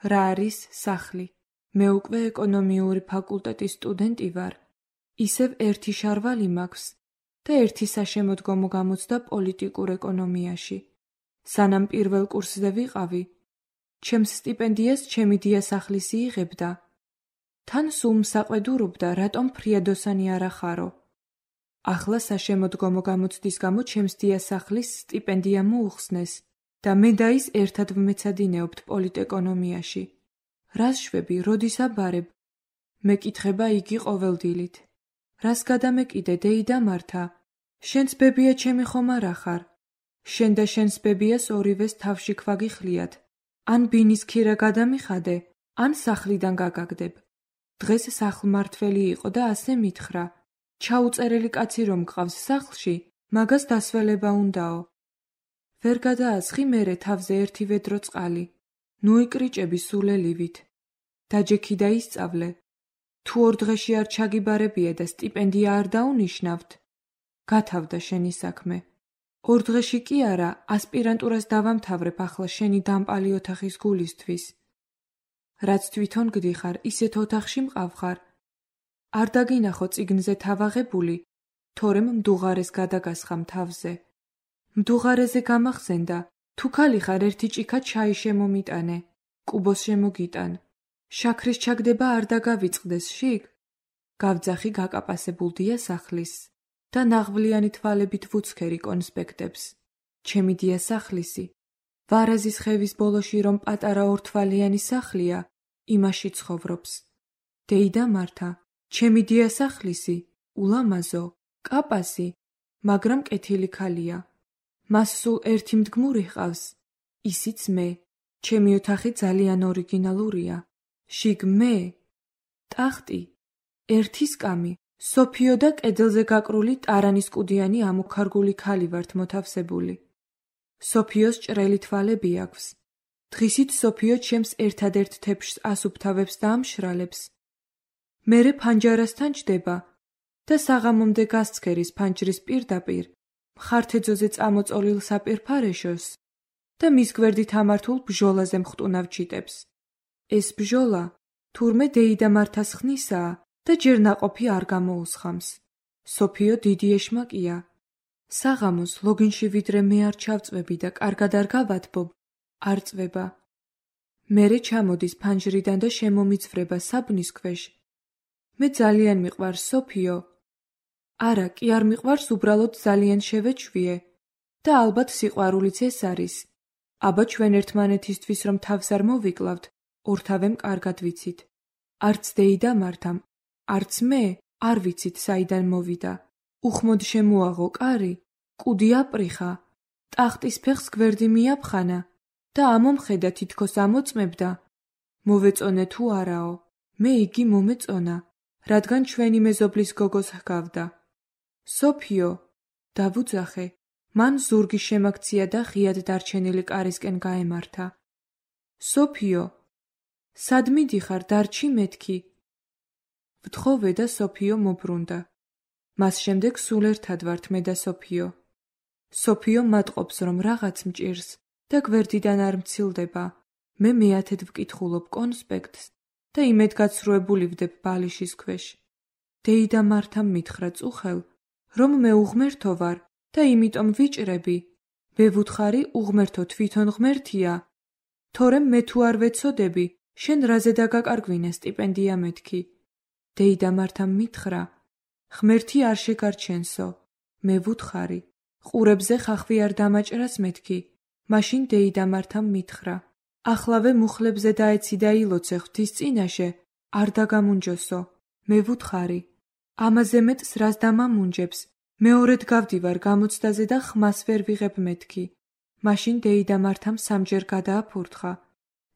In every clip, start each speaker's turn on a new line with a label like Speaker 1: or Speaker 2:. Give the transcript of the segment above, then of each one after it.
Speaker 1: რა არის სახლი? მე უკვე ეკონომიური ფაკულტეტის სტუდენტი ვარ. ისევ ერთი შარვალი მაქვს და ერთი საშემოდგომო გამოცდა პოლიტიკურ ეკონომიაში. სანამ პირველ კურსზე ვიყავი, ჩემს სტიპენდიას ჩემი დიასახლისი იღებდა. თან სულ მსაყვედურობდა, რატომ ფრიადოსანი არ ახარო. ახლა საშემოდგომო გამოცდის გამო ჩემს დიასახლის სტიპენდია მოუხსნეს და მე და ის ერთად ვმეცადინეობთ პოლიტეკონომიაში. რას შვები, როდის აბარებ? მეკითხება იგი ყოველდილით. რას გადამეკიდე, დეიდა მართა? შენც ბებია ჩემი ხომ არ ახარ? შენ და შენს ბებიას ორივეს თავში ქვაგიხლიათ. ან ბინის ქირა გადამიხადე, ან სახლიდან გაგაგდებ. დღეს სახლმმართველი იყო და ასე მითხრა. ჩაუწერელი კაცი რომ გყავს სახლში, მაგას დასველება უნდაო. ვერ გადაასხი მერე თავზე ერთი ვედრო წყალი. ნუ იკრიჭები სულელივით. დაჯექი და ისწავლე. თუ 2 დღეში არ ჩაგიბარებია და სტიპენდია არ დაუნიშნავთ, გათავდა შენი საქმე. 2 დღეში კი არა, ასპირანტურას დავამთავრებ ახლა შენი დამპალი ოთახის გულისთვის. რაც თვითონ გდიხარ, ისეთ ოთახში მყავხარ. არ დაგინახო წიგნზე თავაღებული, თორემ მდუღარეს გადაგასხამ თავზე. მდუღარეზე გამახსენდა, თუ ქალი ხარ ერთი ჭიქა ჩაი შემომიტანე, კუბოს შემოგიტან. შაქრის ჩაგდება არ დაგავიწყდეს შიგ? გავძახი გაკაპასებულ დიასახლის და ნაღვლიანი თვალებით ვუცქერი კონსპექტებს. ჩემი დიასახლისი, ვარაზის ხევის ბოლოში რომ პატარა ორთვალიანი სახლია, იმაში ცხოვრობს. დეიდა მართა, ჩემი დიასახლისი, ულამაზო, კაპასი, მაგრამ კეთილი ქალია. მას სულ ერთი მდგმური ჰყავს, ისიც მე. ჩემი ოთახი ძალიან ორიგინალურია. შიგ მე, ტახტი, ერთი სკამი, სოფიო და კედელზე გაკრული ტარანის კუდიანი ამოქარგული ქალი ვართ მოთავსებული. სოფიოს ჭრელი თვალები აქვს. დღისით სოფიო ჩემს ერთადერთ თეფშს ასუფთავებს და ამშრალებს. მერე ფანჯარასთან ჯდება და საღამომდე გასცქერის ფანჯრის პირდაპირ მხართეძოზე წამოწოლილ საპირფარეშოს და მის გვერდით ამართულ ბჟოლაზე მხტუნავ ჩიტებს. ეს ბჟოლა თურმე დეიდა მართას ხნისაა და ჯერ ნაყოფი არ გამოუსხამს. სოფიო დიდი ეშმაკია. საღამოს ლოგინში ვიდრე მე არ ჩავწვები და კარგად არ გავათბობ, არ წვება. მერე ჩამოდის ფანჯრიდან და შემომიწვრება საბნის ქვეშ. მე ძალიან მიყვარს სოფიო. არა, კი არ მიყვარს, უბრალოდ ძალიან შევეჩვიე და ალბათ სიყვარულიც ეს არის. აბა ჩვენ ერთმანეთისთვის რომ თავს არ მოვიკლავთ, ორთავემ კარგად ვიცით. არც დეიდა მართამ, არც მე არ ვიცით საიდან მოვიდა. უხმოდ შემოაღო კარი, კუდი აპრიხა, ტახტის ფეხს გვერდი მიაფხანა და ამომხედა თითქოს ამოწმებდა. მოვეწონე თუ არაო, მე იგი მომეწონა, რადგან ჩვენი მეზობლის გოგოს ჰგავდა. სოფიო, დავუძახე, მან ზურგი შემაქცია და ღიად დარჩენილი კარისკენ გაემართა. სოფიო, სად მიდიხარ, დარჩი მეთქი? ვთხოვე და სოფიო მობრუნდა. მას შემდეგ სულ ერთად ვართ მე და სოფიო. სოფიო მატყობს რომ რაღაც მჭირს და გვერდიდან არ მცილდება. მე მეათედ ვკითხულობ კონსპექტს და იმედგაცრუებული ვდებ ბალიშის ქვეშ. დეიდა მართამ მითხრა წუხელ, რომ მე უღმერთო ვარ და იმიტომ ვიჭრები. მე ვუთხარი უღმერთო თვითონ ღმერთია. თორემ მე თუ არ ვეცოდები, შენ რაზე დაგაკარგვინე სტიპენდია მეთქი. დეიდა მართამ მითხრა, ღმერთი არ შეგარჩენსო. მე ვუთხარი, ყურებზე ხახვი არ დამაჭრას მეთქი. მაშინ დეიდა მართამ მითხრა, ახლავე მუხლებზე დაეცი და ილოცე ღვთის წინაშე, არ დაგამუნჯოსო. მე ვუთხარი, ამაზე მეტს რას დამამუნჯებს, მეორედ გავდივარ გამოცდაზე და ხმას ვერ ვიღებ მეთქი. მაშინ დეიდა მართამ სამჯერ გადააფურთხა.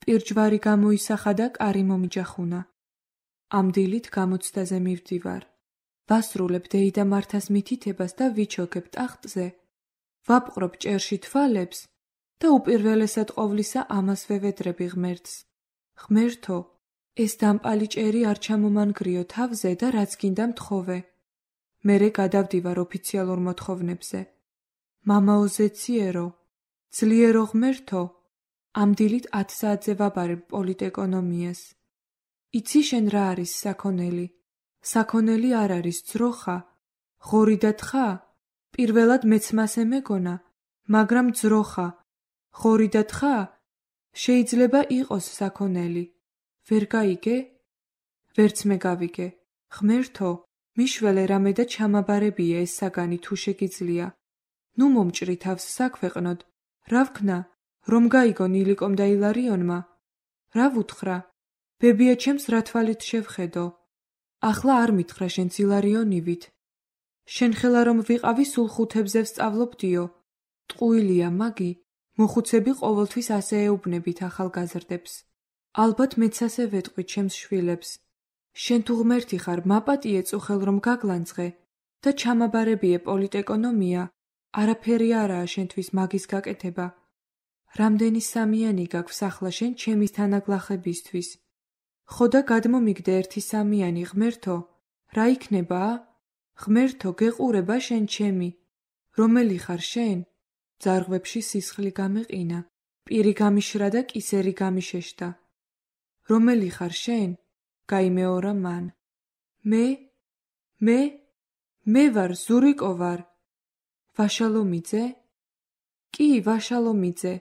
Speaker 1: პირჯვარი გამოისახა და კარი მომიჯახუნა. ამ დილით გამოცდაზე მივდივარ. ვასრულებ დეიდა მართას მითითებას და ვიჩოქებ ტახტზე. ვაპყრობ ჭერში თვალებს და უპირველესად ყოვლისა ამას ვევედრები ღმერთს. ღმერთო, ეს დამპალი ჭერი არ ჩამომანგრიო თავზე და რაც გინდა მთხოვე. მერე გადავდივარ ოფიციალურ მოთხოვნებზე. მამაო ზეციერო, ძლიერო ღმერთო, ამ დილით 10 საათზე ვაბარებ პოლიტეკონომიას. იცი შენ რა არის საქონელი? საქონელი არ არის ძროხა, ღორი და თხა? პირველად მეც მასე მეგონა, მაგრამ ძროხა, ღორი და თხა? შეიძლება იყოს საქონელი. ვერ გაიგე? ვერც მე გავიგე. ღმერთო, მიშველე რამე და ჩამაბარებია ეს საგანი თუ შეგიძლია. ნუ მომჭრი თავს საქვეყნოდ. რა ვქნა, რომ გაიგონ ილიკომ და ილარიონმა? რა ვუთხრა? ბებია ჩემს რა თვალით შევხედო? ახლა არ მითხრა შენც ილარიონივით. შენ ხელა რომ ვიყავი სულ 5-ებზე ვსწავლობდიო. ტყუილია მაგი, მოხუცები ყოველთვის ასე ეუბნებით ახალგაზრდებს. ალბათ მეც ასე ვეტყვი ჩემს შვილებს. შენ თუ ღმერთი ხარ, მაპატიე წუხელ რომ გაგლანძღე და ჩამაბარებიე პოლიტეკონომია, არაფერი არაა შენთვის მაგის გაკეთება. რამდენი სამიანი გაქვს ახლა შენ ჩემის თანაგლახებისთვის. ხო და გადმომიგდე ერთი სამიანი, ღმერთო, რა იქნება? ღმერთო, გეყურება შენ ჩემი. რომელი ხარ შენ? ძარღვებში სისხლი გამეყინა, პირი გამიშრა და კისერი გამიშეშდა. რომელი ხარ შენ? გაიმეორა მან. მე ვარ, ზურიკო ვარ. ვაშალომიძე? კი, ვაშალომიძე.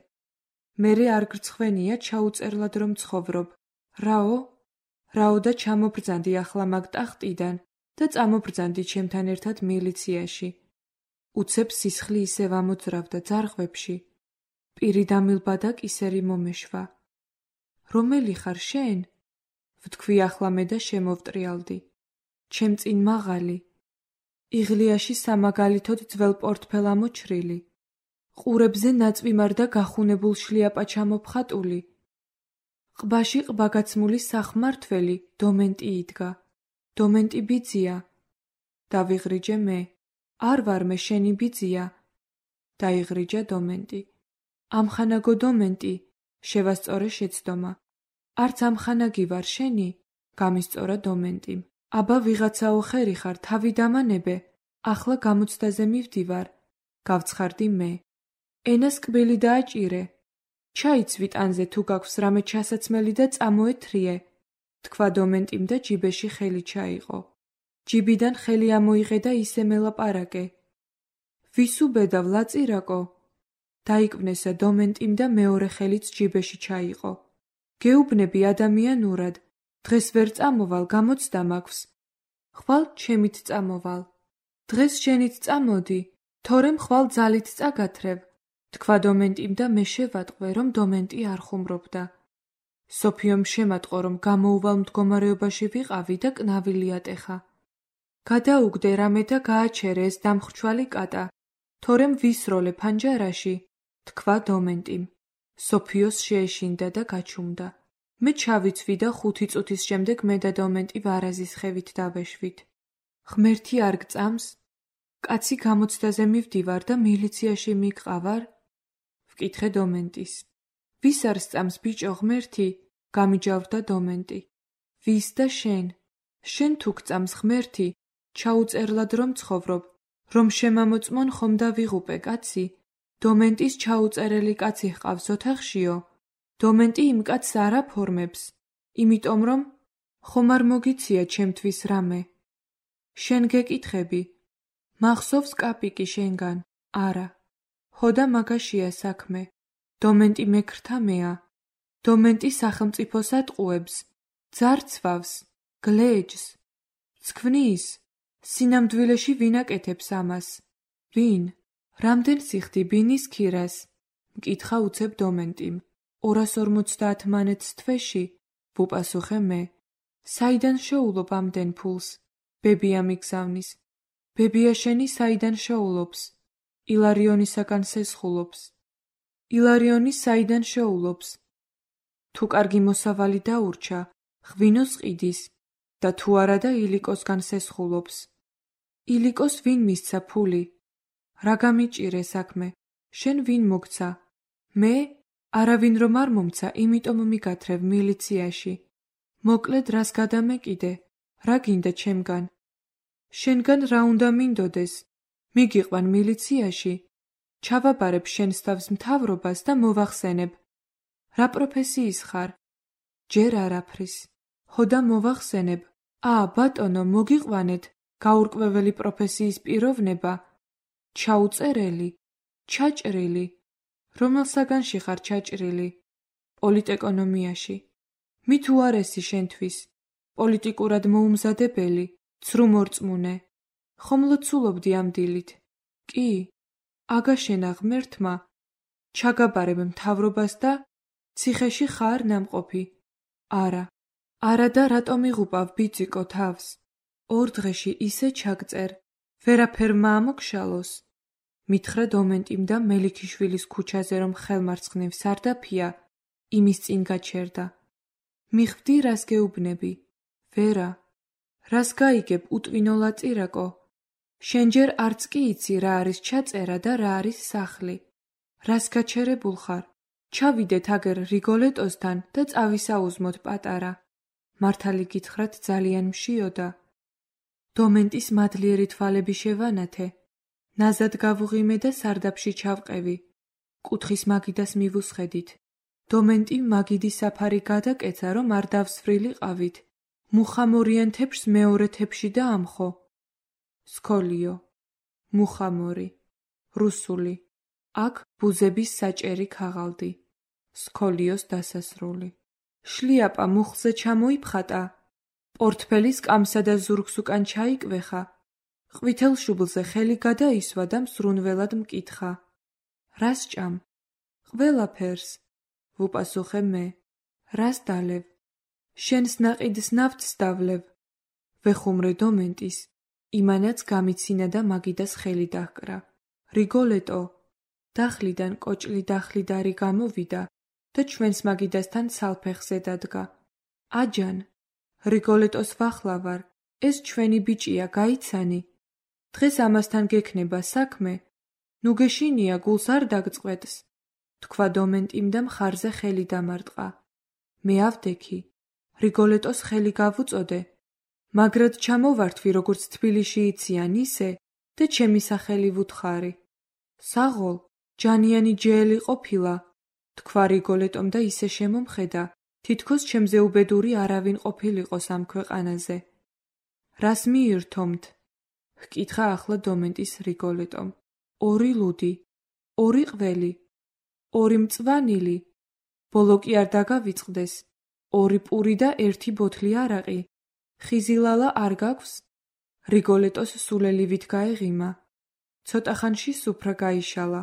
Speaker 1: მერე არ გრცხვენია ჩაუწერლად რომ ცხოვრობ. რაო და ჩამობრძანდი ახლა მაგ ტახტიდან და წამობრძანდი ჩემთან ერთად მილიციაში. უცებ სისხლი ისევ ამოძრავდა ძარღვებში. პირი დამილბა და კისერი მომეშვა. რომელი ხარ შენ? ვთქვი ახლა მე და შემოვტრიალდი. ჩემ წინ მაღალი. იღლიაში სამაგალითოდ ძველ პორტფელ ამოჩრილი. ყურებზე ნაწვიმარ და გახუნებულ შლიაპა ჩამოფხატული. ყბაში ყბაგაცმული სახმართველი დომენტი იდგა. დომენტი ბიძია. დავიღრიჯე მე. არ ვარ მე შენი ბიძია. დაიღრიჯა დომენტი. ამხანაგო დომენტი, შევასწორე შეცდომა. არც ამხანაგი ვარ შენი, გამისწორა დომენტიმ. აბა ვიღაცაო ხერი ხარ, თავი დამანებე, ახლა გამოცდაზე მივდივარ, გავცხარდი მე. ენას კბილი დააჭირე. ჩაიცვი ტანზე თუ გაქვს რამე ჩასაცმელი და წამოეთრიე, თქვა დომენტიმ და ჯიბეში ხელი ჩაიყო. ჯიბიდან ხელი ამოიღე და ისე მელაპარაკე. ვის უბედავ, ლაწირაკო? დაიკვნესა დომენტიმ და მეორე ხელიც ჯიბეში ჩაიყო. გეუბნები ადამიანურად, დღეს ვერ წამოვალ, გამოცდა მაქვს. ხვალ ჩემით წამოვალ. დღეს შენით წამოდი, თორემ ხვალ ძალით წაგათრევ, თქვა დომენტიმ და მე შევატყვე, რომ დომენტი არ ხუმრობდა. სოფიომ შემატყო, რომ გამოუვალ მდგომარეობაში ვიყავი და კნავილი ატეხა. გადაუგდე რამე და გააჩერე ეს დამხრჩვალი კატა, თორემ ვისროლე ფანჯარაში, თქვა დომენტიმ. სოფიოს შეეშინდა და გაჩუმდა. მე ჩავიცვი და 5 წუთის შემდეგ მე და დომენტი ვარაზის ხევით დავეშვით. ღმერთი არ გწამს? კაცი გამოცდაზე მივდივარ და მილიციაში მიგყავარ? ვკითხე დომენტის. ვის არ სწამს ბიჭო ღმერთი? გამიჯავრდა დომენტი. ვის და შენ? შენ თუ გწამს ღმერთი, ჩაუწერლად რომ ცხოვრობ, რომ შემამოწმონ ხომ და ვიღუპე კაცი? დომენტის ჩაუწერელი კაცი ჰყავს ოთახშიო? დომენტი იმ კაცს არ აფორმებს, იმიტომ რომ ხომ არ მოგიცია ჩემთვის რამე. შენ გეკითხები, მახსოვს კაპიკი შენგან? არა. ხო და მაგაშია საქმე. დომენტი მექრთამეა. დომენტი სახელმწიფოს ატყუებს, ძარცვავს, გლეჯს, ცქმნის. სინამდვილეში ვინ აკეთებს ამას? ვინ? რამდენ სიხდი ბინის ქირას? მკითხა უცებ დომენტიმ. 250 მანეთს თვეში, ვუპასუხე მე. საიდან შოულობ ამდენ ფულს? ბებია მიგზავნის. ბებია შენი საიდან შოულობს? ილარიონისაგან სესხულობს. ილარიონი საიდან შოულობს? თუ კარგი მოსავალი დაურჩა, ღვინოს ყიდის და თუ არა და ილიკოსგან სესხულობს. ილიკოს ვინ მისცა ფული? რა გამიჭირე საქმე? შენ ვინ მოგცა? მე? არავინ რომ არ მომცა, იმიტომ მიგათრევ მილიციაში. მოკლედ რას გადამეკიდე? რა გინდა ჩემგან? შენგან რა უნდა მინდოდეს? მიგიყვან მილიციაში? ჩავაბარებ შენს თავს მთავრობას და მოვახსენებ. რა პროფესიის ხარ? ჯერ არაფრის. ჰოდა მოვახსენებ. ბატონო, მოგიყვანეთ, გაურკვეველი პროფესიის პიროვნება. ჩაუწერელი, ჩაჭრილი. რომელ საგანში ხარ ჩაჭრილი? პოლიტეკონომიაში. მით უარესი შენთვის. პოლიტიკურად მოუმზადებელი, ცრუმორწმუნე. ხომ ლოცულობდი ამ დილით? კი. აგაშენა ღმერთმა. ჩაგაბარებ მთავრობას და ციხეში ხარ ნამყოფი? არა. არა და რატომ იღუპავ ბიძიკო თავს? 2 დღეში ისე ჩაგწერ, ვერაფერ მაამოგშალოს. მითხრა დომენტიმ და მელიქიშვილის ქუჩაზე რომ ხელმარცხნივ სარდაფია, იმის წინ გაჩერდა. მიხვდი რას გეუბნები? ვერა. რას გაიგებ უტვინო ლაწირაკო? შენ ჯერ არც კი იცი რა არის ჩაწერა და რა არის სახლი. რას გაჩერებულ ხარ? ჩავიდეთ აგერ რიგოლეტოსთან და წავისაუზმოთ პატარა. მართალი გითხრათ ძალიან მშიოდა. დომენტის მადლიერი თვალები შევანათე. ნაზად გავუღიმე და სარდაფში ჩავყევი. კუთხის მაგიდას მივუსხედით. დომენტი მაგიდის საფარი გადაკეცა, რომ არ დავსვრილიყავით. მუხამორიან თეფშს მეორე თეფში და ამხო. სქოლიო. მუხამორი. რუსული. აქ ბუზების საჭერი ქაღალდი. სქოლიოს დასასრული. შლიაპა მუხზე ჩამოიფხატა. პორტფელის კამსა და ზურგს უკან ჩაიკვეხა. ყვითელ შუბლზე ხელი გადაისვა და მსრუნველად მკითხა. რას ჭამ? ყველაფერს. ვუპასუხე მე. რას დალევ? შენს ნაყიდს ნავთს დავლევ. ვეხუმრე დომენტის. იმანაც გამიცინა და მაგიდას ხელი დაჰკრა. რიგოლეტო. დახლიდან კოჭლი დახლიდარი გამოვიდა და ჩვენს მაგიდასთან სალფეხზე დადგა. აჯან, რიგოლეტოს ვახლავარ, ეს ჩვენი ბიჭია, გაიცანი. დღეს ამასთან გექნება საქმე. ნუ გეშინია, გულს არ დაგწყვეტს. თქვა დომენტიმ და მხარზე ხელი დამარტყა. მე ავდექი. რიგოლეტოს ხელი გავუწოდე. მაგრად ჩამოვართვი, როგორც თბილისში იციან ისე და ჩემი სახელი ვუთხარი. საღოლ, ჯანიანი ჯეელი ყოფილა, თქვა რიგოლეტომ და ისე შემომხედა, თითქოს ჩემზე უბედური არავინ ყოფილიყოს ამ ქვეყანაზე. რას მიირთომთ? ჰკითხა ახლა დომენტის რიგოლეტომ. 2 ლუდი, 2 ყველი, 2 მწვანილი, ბოლო კი არ დაგავიწყდეს, 2 პური და 1 ბოთლი არაყი. ხიზილალა არ გაქვს? რიგოლეტოს სულელივით გაეღიმა. ცოტა ხანში სუფრა გაიშალა.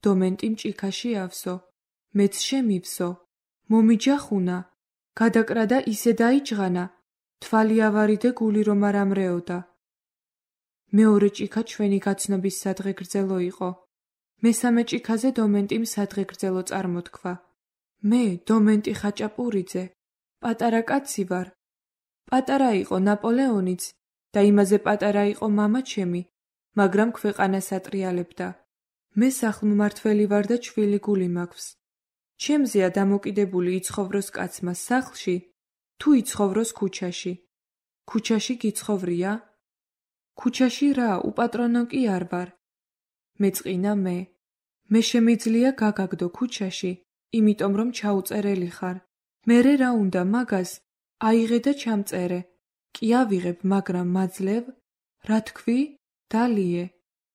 Speaker 1: დომენტი მჭიქაში ავსო. მეც შემივსო. მომიჯახუნა. გადაკრა და ისე დაიჯღანა. თვალი ავარიდე გული რომ არ ამრეოდა. მეორე ჭიქა ჩვენი გაცნობის სადღეგრძელო იყო. მესამე ჭიქაზე დომენტიმ სადღეგრძელო წარმოთქვა. მე, დომენტი ხაჭაპურიძე, პატარა კაცი ვარ. პატარა იყო ნაპოლეონიც და იმაზე პატარა იყო მამა ჩემი, მაგრამ ქვეყანას ატრიალებდა. მე სახლმმართველი ვარ და ჩვილი გული მაქვს. ჩემზეა დამოკიდებული იცხოვროს კაცმა სახლში, თუ იცხოვროს ქუჩაში. ქუჩაში გიცხოვრია? ქუჩაში რა, უპატრონო კი არ ვარ. მეწყინა მე. მე შემიძლია გაგაგდო ქუჩაში, იმიტომ რომ ჩაუწერელი ხარ. მერე რა უნდა მაგას? აიღე და ჩამწერე. კი ავიღებ, მაგრამ მაძლევ? რა თქვი? დალიე.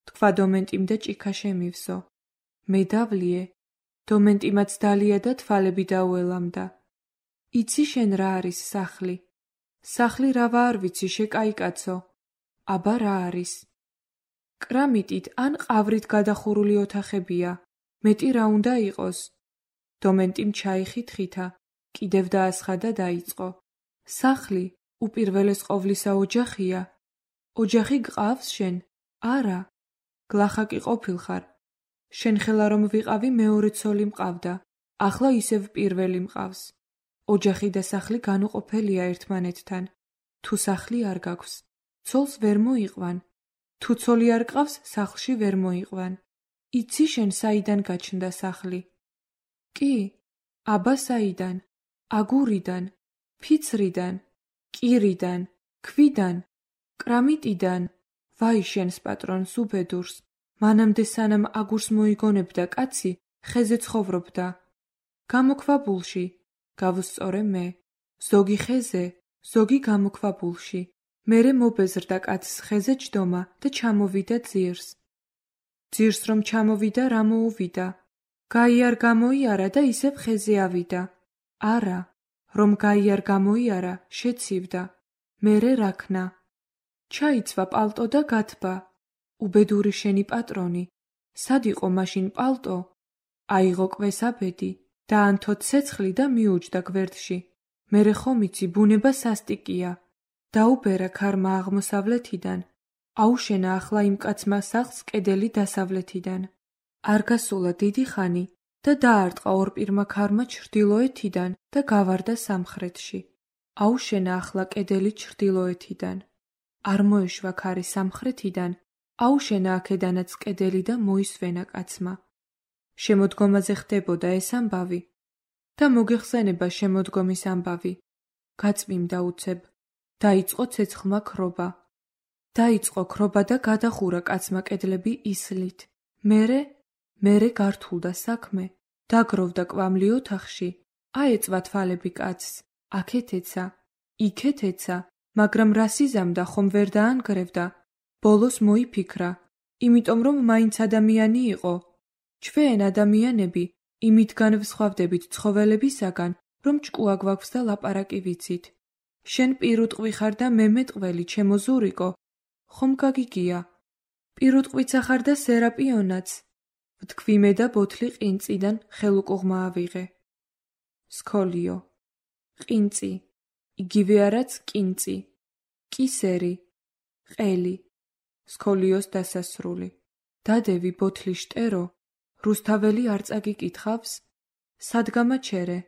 Speaker 1: თქვა დომენტიმ და ჭიქა შემივსო. მე დავლიე. დომენტიმაც დალია და თვალები დაუელამდა. იცი შენ რა არის სახლი? სახლი რავა არ ვიცი, შეკაიკაცო. აბა რა არის? კრამიტით ან ყავრით გადახურული ოთახებია. მეტი რა უნდა იყოს? დომენტიმ ჩაიხითხითა, კიდევ დაასხა და დაიწყო. სახლი, უპირველეს ყოვლისა ოჯახია. ოჯახი გყავს შენ? არა. გლახაკი ყოფილხარ. შენ ხელა რომ ვიყავი მეორე ცოლი მყავდა. ახლა ისევ პირველი მყავს. ოჯახი და სახლი განუყოფელია ერთმანეთთან. თუ სახლი არ გაქვს, ცოლს ვერ მოიყვან. თუ ცოლი არ ყავს, სახლში ვერ მოიყვან. იცი შენ საიდან გაჩნდა სახლი? კი. აბა საიდან? აგურიდან, ფიცრიდან, კირიდან, ქვიდან, კრამიტიდან. ვაი შენს პატრონს უბედურს. მანამდე სანამ აგურს მოიგონებდა კაცი, ხეზე ცხოვრობდა. გამოქვაბულში, გავუსწორე მე. ზოგი ხეზე, ზოგი გამოქვაბულში. მერე მობეზრდა კაცს ხეზე ჯდომა და ჩამოვიდა ძირს. ძირს რომ ჩამოვიდა, რა მოუვიდა? გაიარ გამოიარა და ისევ ხეზე ავიდა. არა, რომ გაიარ გამოიარა, შეცივდა. მერე რაქნა. ჩაიცვა პალტო და გათბა. უბედური შენი პატრონი. სად იყო მაშინ პალტო? აიღო კვესაბედი, დაანთო ცეცხლი და მიუჯდა გვერდში. მერე ხომ იცი, ბუნება სასტიკია. დაუბერა ქარმა აღმოსავლეთიდან. აუშენა ახლა იმ კაცმა სახლს კედელი დასავლეთიდან. არ გასულა დიდი ხანი და დაარტყა ორპირმა ქარმა ჩრდილოეთიდან და გავარდა სამხრეთში. აუშენა ახლა კედელი ჩრდილოეთიდან. არ მოეშვა ქარი სამხრეთიდან, აუშენა აქედანაც კედელი და მოისვენა კაცმა. შემოდგომაზე ხდებოდა ეს ამბავი და მოგეხსენება შემოდგომის ამბავი. გაწვიმდა უცებ. დაიწყო ცეცხლმა ქრობა. დაიწყო ქრობა და გადახურა კაცმა კედლები ისლით. მერე გართულდა საქმე. დაგროვდა კვამლი ოთახში. აეწვა თვალები კაცს. აქეთ ეცა, იქეთ ეცა, მაგრამ რას იზამდა, ხომ ვერ დაანგრევდა. ბოლოს მოიფიქრა, იმიტომ რომ მაინც ადამიანი იყო. ჩვენ ადამიანები იმით განვსხვავდებით ცხოველებისაგან, რომ ჭკუა გვაქვს და ლაპარაკი ვიცით. შენ პირუტყვი ხარ და მე მეტყველი, ჩემო ზურიკო, ხომ გაგიგია? პირუტყვიცა ხარ და სერაპიონაც. ვთქვი მე და ბოთლი ყინწიდან ხელუკუღმა ავიღე. სქოლიო. ყინწი. იგივე არაც კინწი. კისერი. ყელი. სქოლიოს დასასრული. დადევი ბოთლი შტერო. რუსთაველი არ წაგიკითხავს? სად გამაჩერე?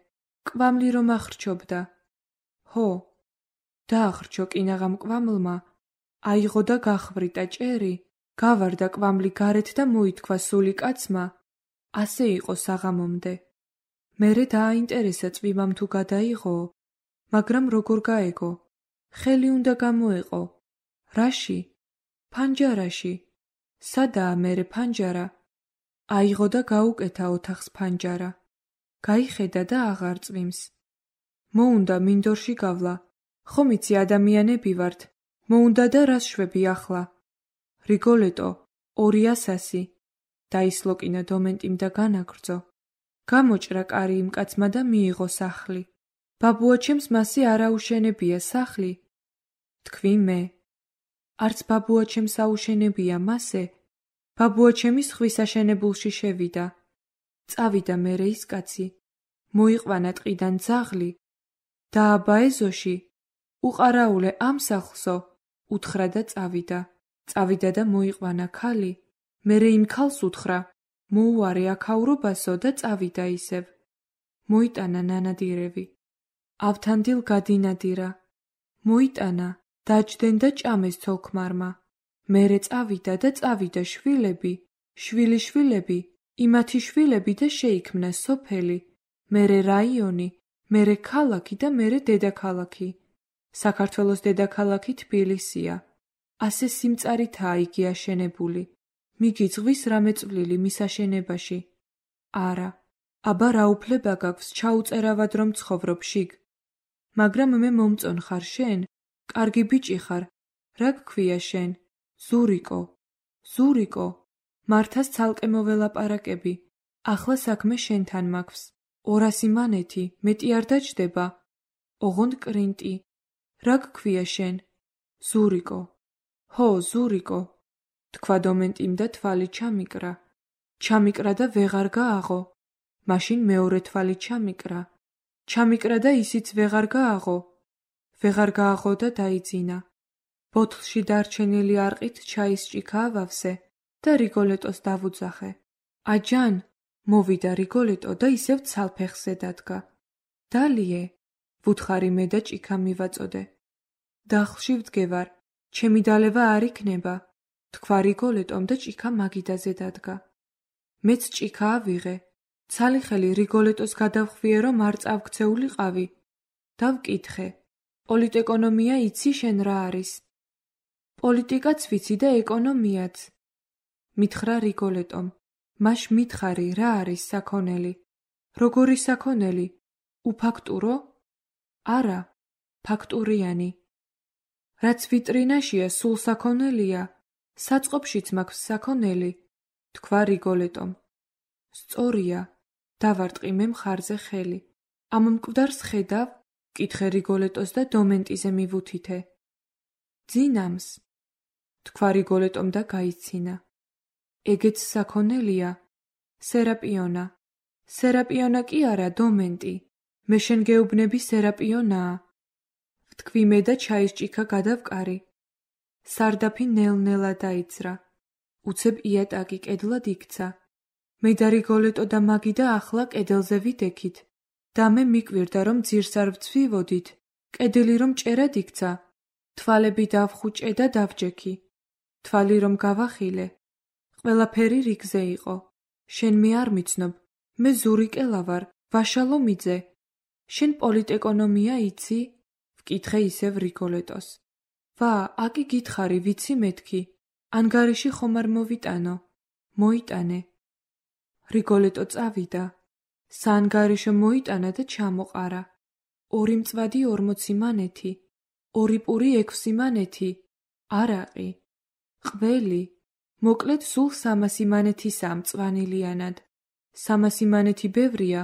Speaker 1: კვამლი რომ ახრჩობდა. ჰო. დაახრჩო კინაღამ კვამლმა. აიღო და გახვრიტა ჭერი. გავარდა კვამლი გარეთ და მოითქვა სული კაცმა. ასე იყო საღამომდე. მერე დააინტერესა წვიმამ თუ გადაიღო, მაგრამ როგორ გაეგო? ხელი უნდა გამოეყო. რაში? ფანჯარაში. სადაა მერე ფანჯარა? აიღო და გაუკეთა ოთახს ფანჯარა. გაიხედა და აღარ წვიმს. მოუნდა მინდორში გავლა. ხომ იცი ადამიანები ვართ. მოუნდა და რას შვები ახლა? რიგოლეტო, 200. დაისლოკინა დომენტიმ და განაგრძო. გამოჭრა კარი იმ კაცმა და მიიღო სახლი. ბაბუაჩემს მასე არაუშენებია სახლი? თქვი მე. არც ბაბუაჩემს აუშენებია მასე. ბაბუაჩემი ზღვის აშენებულში შევიდა. წავიდა მერე ის კაცი. მოიყვანა ტყიდან ძაღლი. დააბა ეზოში. უყარაულე ამ სახლსო. უთხრა და წავიდა. წავიდა და მოიყვანა ქალი. მერე იმ ქალს უთხრა. მოუარე აქაურობასო და წავიდა ისევ. მოიტანა ნანადირევი. ავთანდილ გადინადირა. მოიტანა, დაჯდენ და ჭამეს ცოლქმარმა. მერე წავიდა და წავიდა შვილები, შვილიშვილები, იმათი შვილები და შეიქმნა სოფელი, მერე რაიონი, მერე ქალაქი და მერე დედაქალაქი. საქართველოს დედაქალაქი თბილისია. ასე სიმწარითაა იგი აშენებული. მიგიძღვის რამე წვლილი მის აშენებაში? არა. აბა რა უფლება გაქვს ჩაუწერავად რომ ცხოვრობ შიგ? მაგრამ მე მომწონ ხარ შენ? კარგი ბიჭი ხარ. რა გქვია შენ? ზურიკო. ზურიკო. მართას ცალკე მოველაპარაკები. ახლა საქმე შენთან მაქვს. 200 მანეთი, მეტი არ დაჯდება. ოღონდ კრინტი. რა გქვია შენ? ზურიკო. ჰო, ზურიკო. თქვა დომენტიმ და თვალი ჩამიკრა. ჩამიკრა და ვეღარ გააღო. მაშინ მეორე თვალი ჩამიკრა. ჩამიკრა და ისიც ვეღარ გააღო. ვეღარ გააღო და დაიძინა. ბოთლში დარჩენილი არყით ჩაის ჭიქა ავავსე და რიგოლეტოს დავუძახე. აჯან, მოვიდა რიგოლეტო და ისევ ცალფეხზე დადგა. დალიე, ვუთხარი მე და ჭიქა მივაწოდე. დახლში ვდგევარ, ჩემი დალევა არ იქნება, თქვა რიგოლეტომ და ჭიქა მაგიდაზე დადგა. მეც ჭიქა ავიღე. ცალი ხელი რიგოლეტოს გადავხვიე რომ არ წავქცეულიყავი. დავკითხე. პოლიტეკონომია იცი შენ რა არის? პოლიტიკაც ვიცი და ეკონომიაც. მითხრა რიგოლეტომ. მაშ მითხარი რა არის საქონელი? როგორი საქონელი? უფაქტურო? არა, ფაქტურიანი. რაც ვიტრინაშია, სულ საქონელია, საწყობშიც მაქვს საქონელი, თქვა რიგოლეტომ. სწორია, დავარტყი მე მხარზე ხელი. ამ მკვდარს ხედავ? კითხე რიგოლეტოს და დომენტიზე მივუთითე. ძინამს, თქვა რიგოლეტომ და გაიცინა. ეგეც საქონელია? სერაპიონა. სერაპიონა კი არა, დომენტი. მე შენ გეუბნები სერაპიონაა. ვთქვი მე და ჩაისჭიქა გადავკარი. სარდაფი ნელ-ნელა დაიძრა. უცებ იატაკი კედლად იქცა. მე და რიგოლეტო და მაგი და ახლა კედელზე ვიდექით. და მე მიკვირდა რომ ძირს არ ვცვივოდით. კედელი რომ ჭერად იქცა. თვალები დავხუჭე და დავჯექი. თვალი რომ გავახილე. ყველაფერი რიგზე იყო. შენ მე არ მიცნობ. მე ზურიკელა ვარ, ვაშალო მიძე. შენ პოლიტეკონომია იცი? ვკითხე ისევ რიგოლეტოს. ვა, აკი გითხარი, ვიცი მეთქი. ანგარიში ხომ არ მოვიტანო? მოიტანე. რიგოლეტო წავიდა. საანგარიშო მოიტანა და ჩამოყარა. 2 მწვადი 40 მანეთი. 2 პური 6 მანეთი. არაყი. ყველი. მოკლედ სულ 300 მანეთისაა მწვანილიანად. 300 მანეთი ბევრია,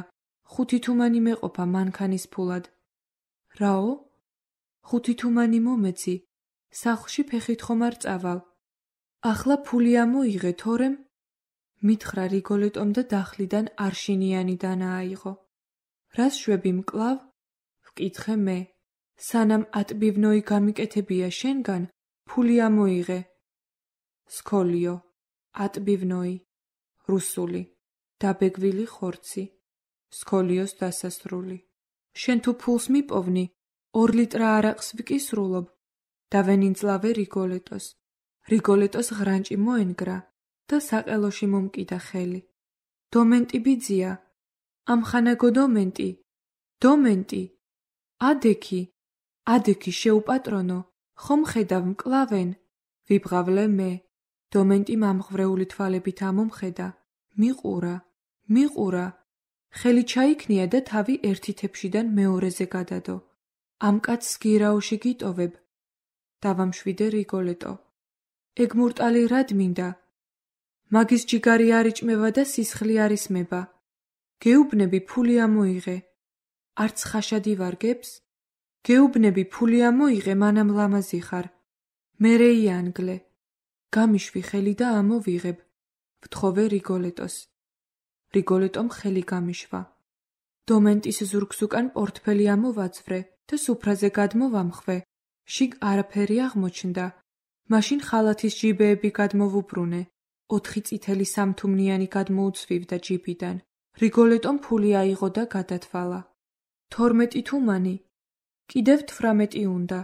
Speaker 1: 5 თუმანი მეყოფა მანქანის ფულად. რაო? 5 თუმანი მომეცი. სახლში ფეხით ხომ არ წავალ. ახლა ფული ამოიღე, თორემ მითხრა რიგოლეტომ და დახლიდან არშინიანი დანააიღო. რას შვები მკლავ? ვკითხე მე. სანამ ატბივნოი გამიკეთებია შენგან, ფული ამოიღე. სკოლიო, ატბივნოი, რუსული, დაბეგვილი ხორცი. სკოლიოს დასასრული. შენ თუ ფულს მიპოვნი, 2 ლიტრა არაყს ვკისრულობ. დავენინძლავე რიგოლეტოს. რიგოლეტოს ღრანჭი მოენგრა და საყელოში მომკიდა ხელი. დომენტი ბიძია. ამხანაგო დომენტი. დომენტი. ადექი. ადექი შეუპატრონო. ხომ ხედავ მკლავენ? ვიბღავლე მე. დომენტი მამღვრეული თვალებით ამომხედა. მიყურა. მიყურა. ხელი ჩაიქნია და თავი ერთი თეფშიდან მეორეზე გადადო. ამ კაცს გირაოში გიტოვებ. დავამშვიდე რიგოლეტო. ეგ მურტალი რად მინდა? მაგის ჯიგარი არ იჭმევა და სისხლი არ ისმება. გეუბნები ფული ამოიღე. არც ხაშადი ვარგებს? გეუბნები ფული ამოიღე, მანამ ლამაზი ხარ. მერე იანგლე. გამიშვი ხელი და ამოვიღებ. ვთხოვე რიგოლეტოს. რიგოლეტომ ხელი გამიშვა. დომენტის ზურგს უკან პორტფელი ამოვაწვრე და სუფრაზე გადმოვამხვე. შიგ არაფერი აღმოჩნდა. მაშინ ხალათის ჯიბეები გადმოვუბრუნე. 4 წითელი სამთუმნიანი გადმოუცვივდა ჯიბიდან. რიგოლეტომ ფული აიღო და გადათვალა. 12 თუმანი. კიდევ 18 უნდა.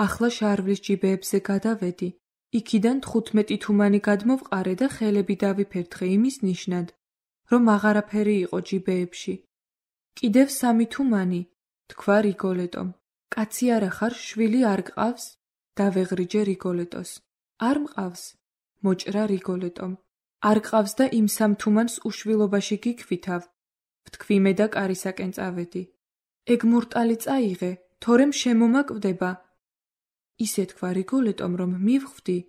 Speaker 1: ახლა შარვლის ჯიბეებზე გადავედი. იქიდან 15 თუმანი გადმოვყარე და ხელები დავიფერთხე იმის ნიშნად, რომ აღარაფერი იყო ჯიბეებში. კიდევ 3 თუმანი, თქვა რიგოლეტომ. კაცი არა ხარ, შვილი არ გყავს? დავეღრიჯე რიგოლეტოს. არ მყავს? მოჭრა რიგოლეტომ. არ ყავს და იმ 3 თუმანს უშვილობაში გიქვითავ. ვთქვი მე და კარისაკენ წავედი. ეგ მურტალი წაიღე, თორემ შემომაკვდება. ისე თქვა რიგოლეტომ, რომ მივხვდი.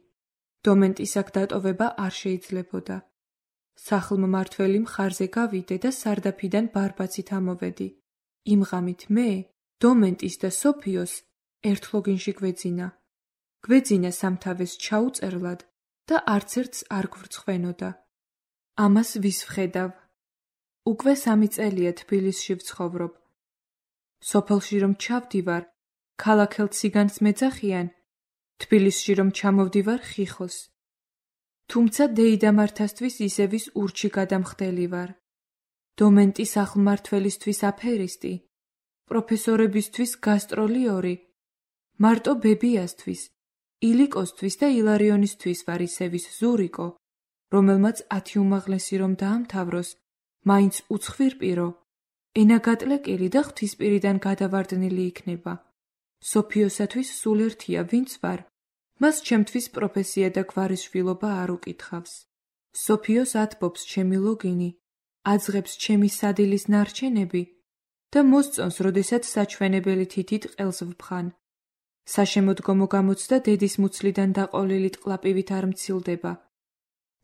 Speaker 1: დომენტის აქ დატოვება არ შეიძლებოდა. სახლმმართველი მხარზე გავიდე და სარდაფიდან ბარბაცით ამოვედი. იმ ღამით მე, დომენტის და სოფიოს ერთ ლოგინში გვეძინა. გვეძინა სამთავეს ჩაუწერლად და არც ერთს არ გვრცხვენოდა. ამას ვის ვხედავ? უკვე 3 წელია თბილისში ვცხოვრობ. სოფელში რომ ჩავდივარ, ქალაქელ ციგანს მეძახიან, თბილისში რომ ჩამოვდივარ ხიხოს. თუმცა დეიდამართასთვის ისევის ურჩი გადამხდელი ვარ. დომენტის სახლმმართველისთვის აფერისტი, პროფესორებისთვის გასტროლიორი, მარტო ბებიასთვის, ილიკოსთვის და ილარიონისთვის ვარ ისევის ზურიკო, რომელმაც 10 უმაღლესი რომ დაამთავროს, მაინც უცხვირპირო, ენაგატლეკილი და ღვთისპირიდან გადავარდნილი იქნება. სოფიოსათვის სულ ერთია ვინც ვარ, მას ჩემთვის პროფესია და გვარისშვილობა არ უკითხავს. სოფიოს ათბობს ჩემი ლოგინი, აძღებს ჩემი სადილის ნარჩენები და მოსწონს, როდესაც საჩვენებელი თითით ყელს ვფხან. საშემოდგომო გამოცდა დედის მუცლიდან დაყოლილი ტყლაპივით არ მცილდება.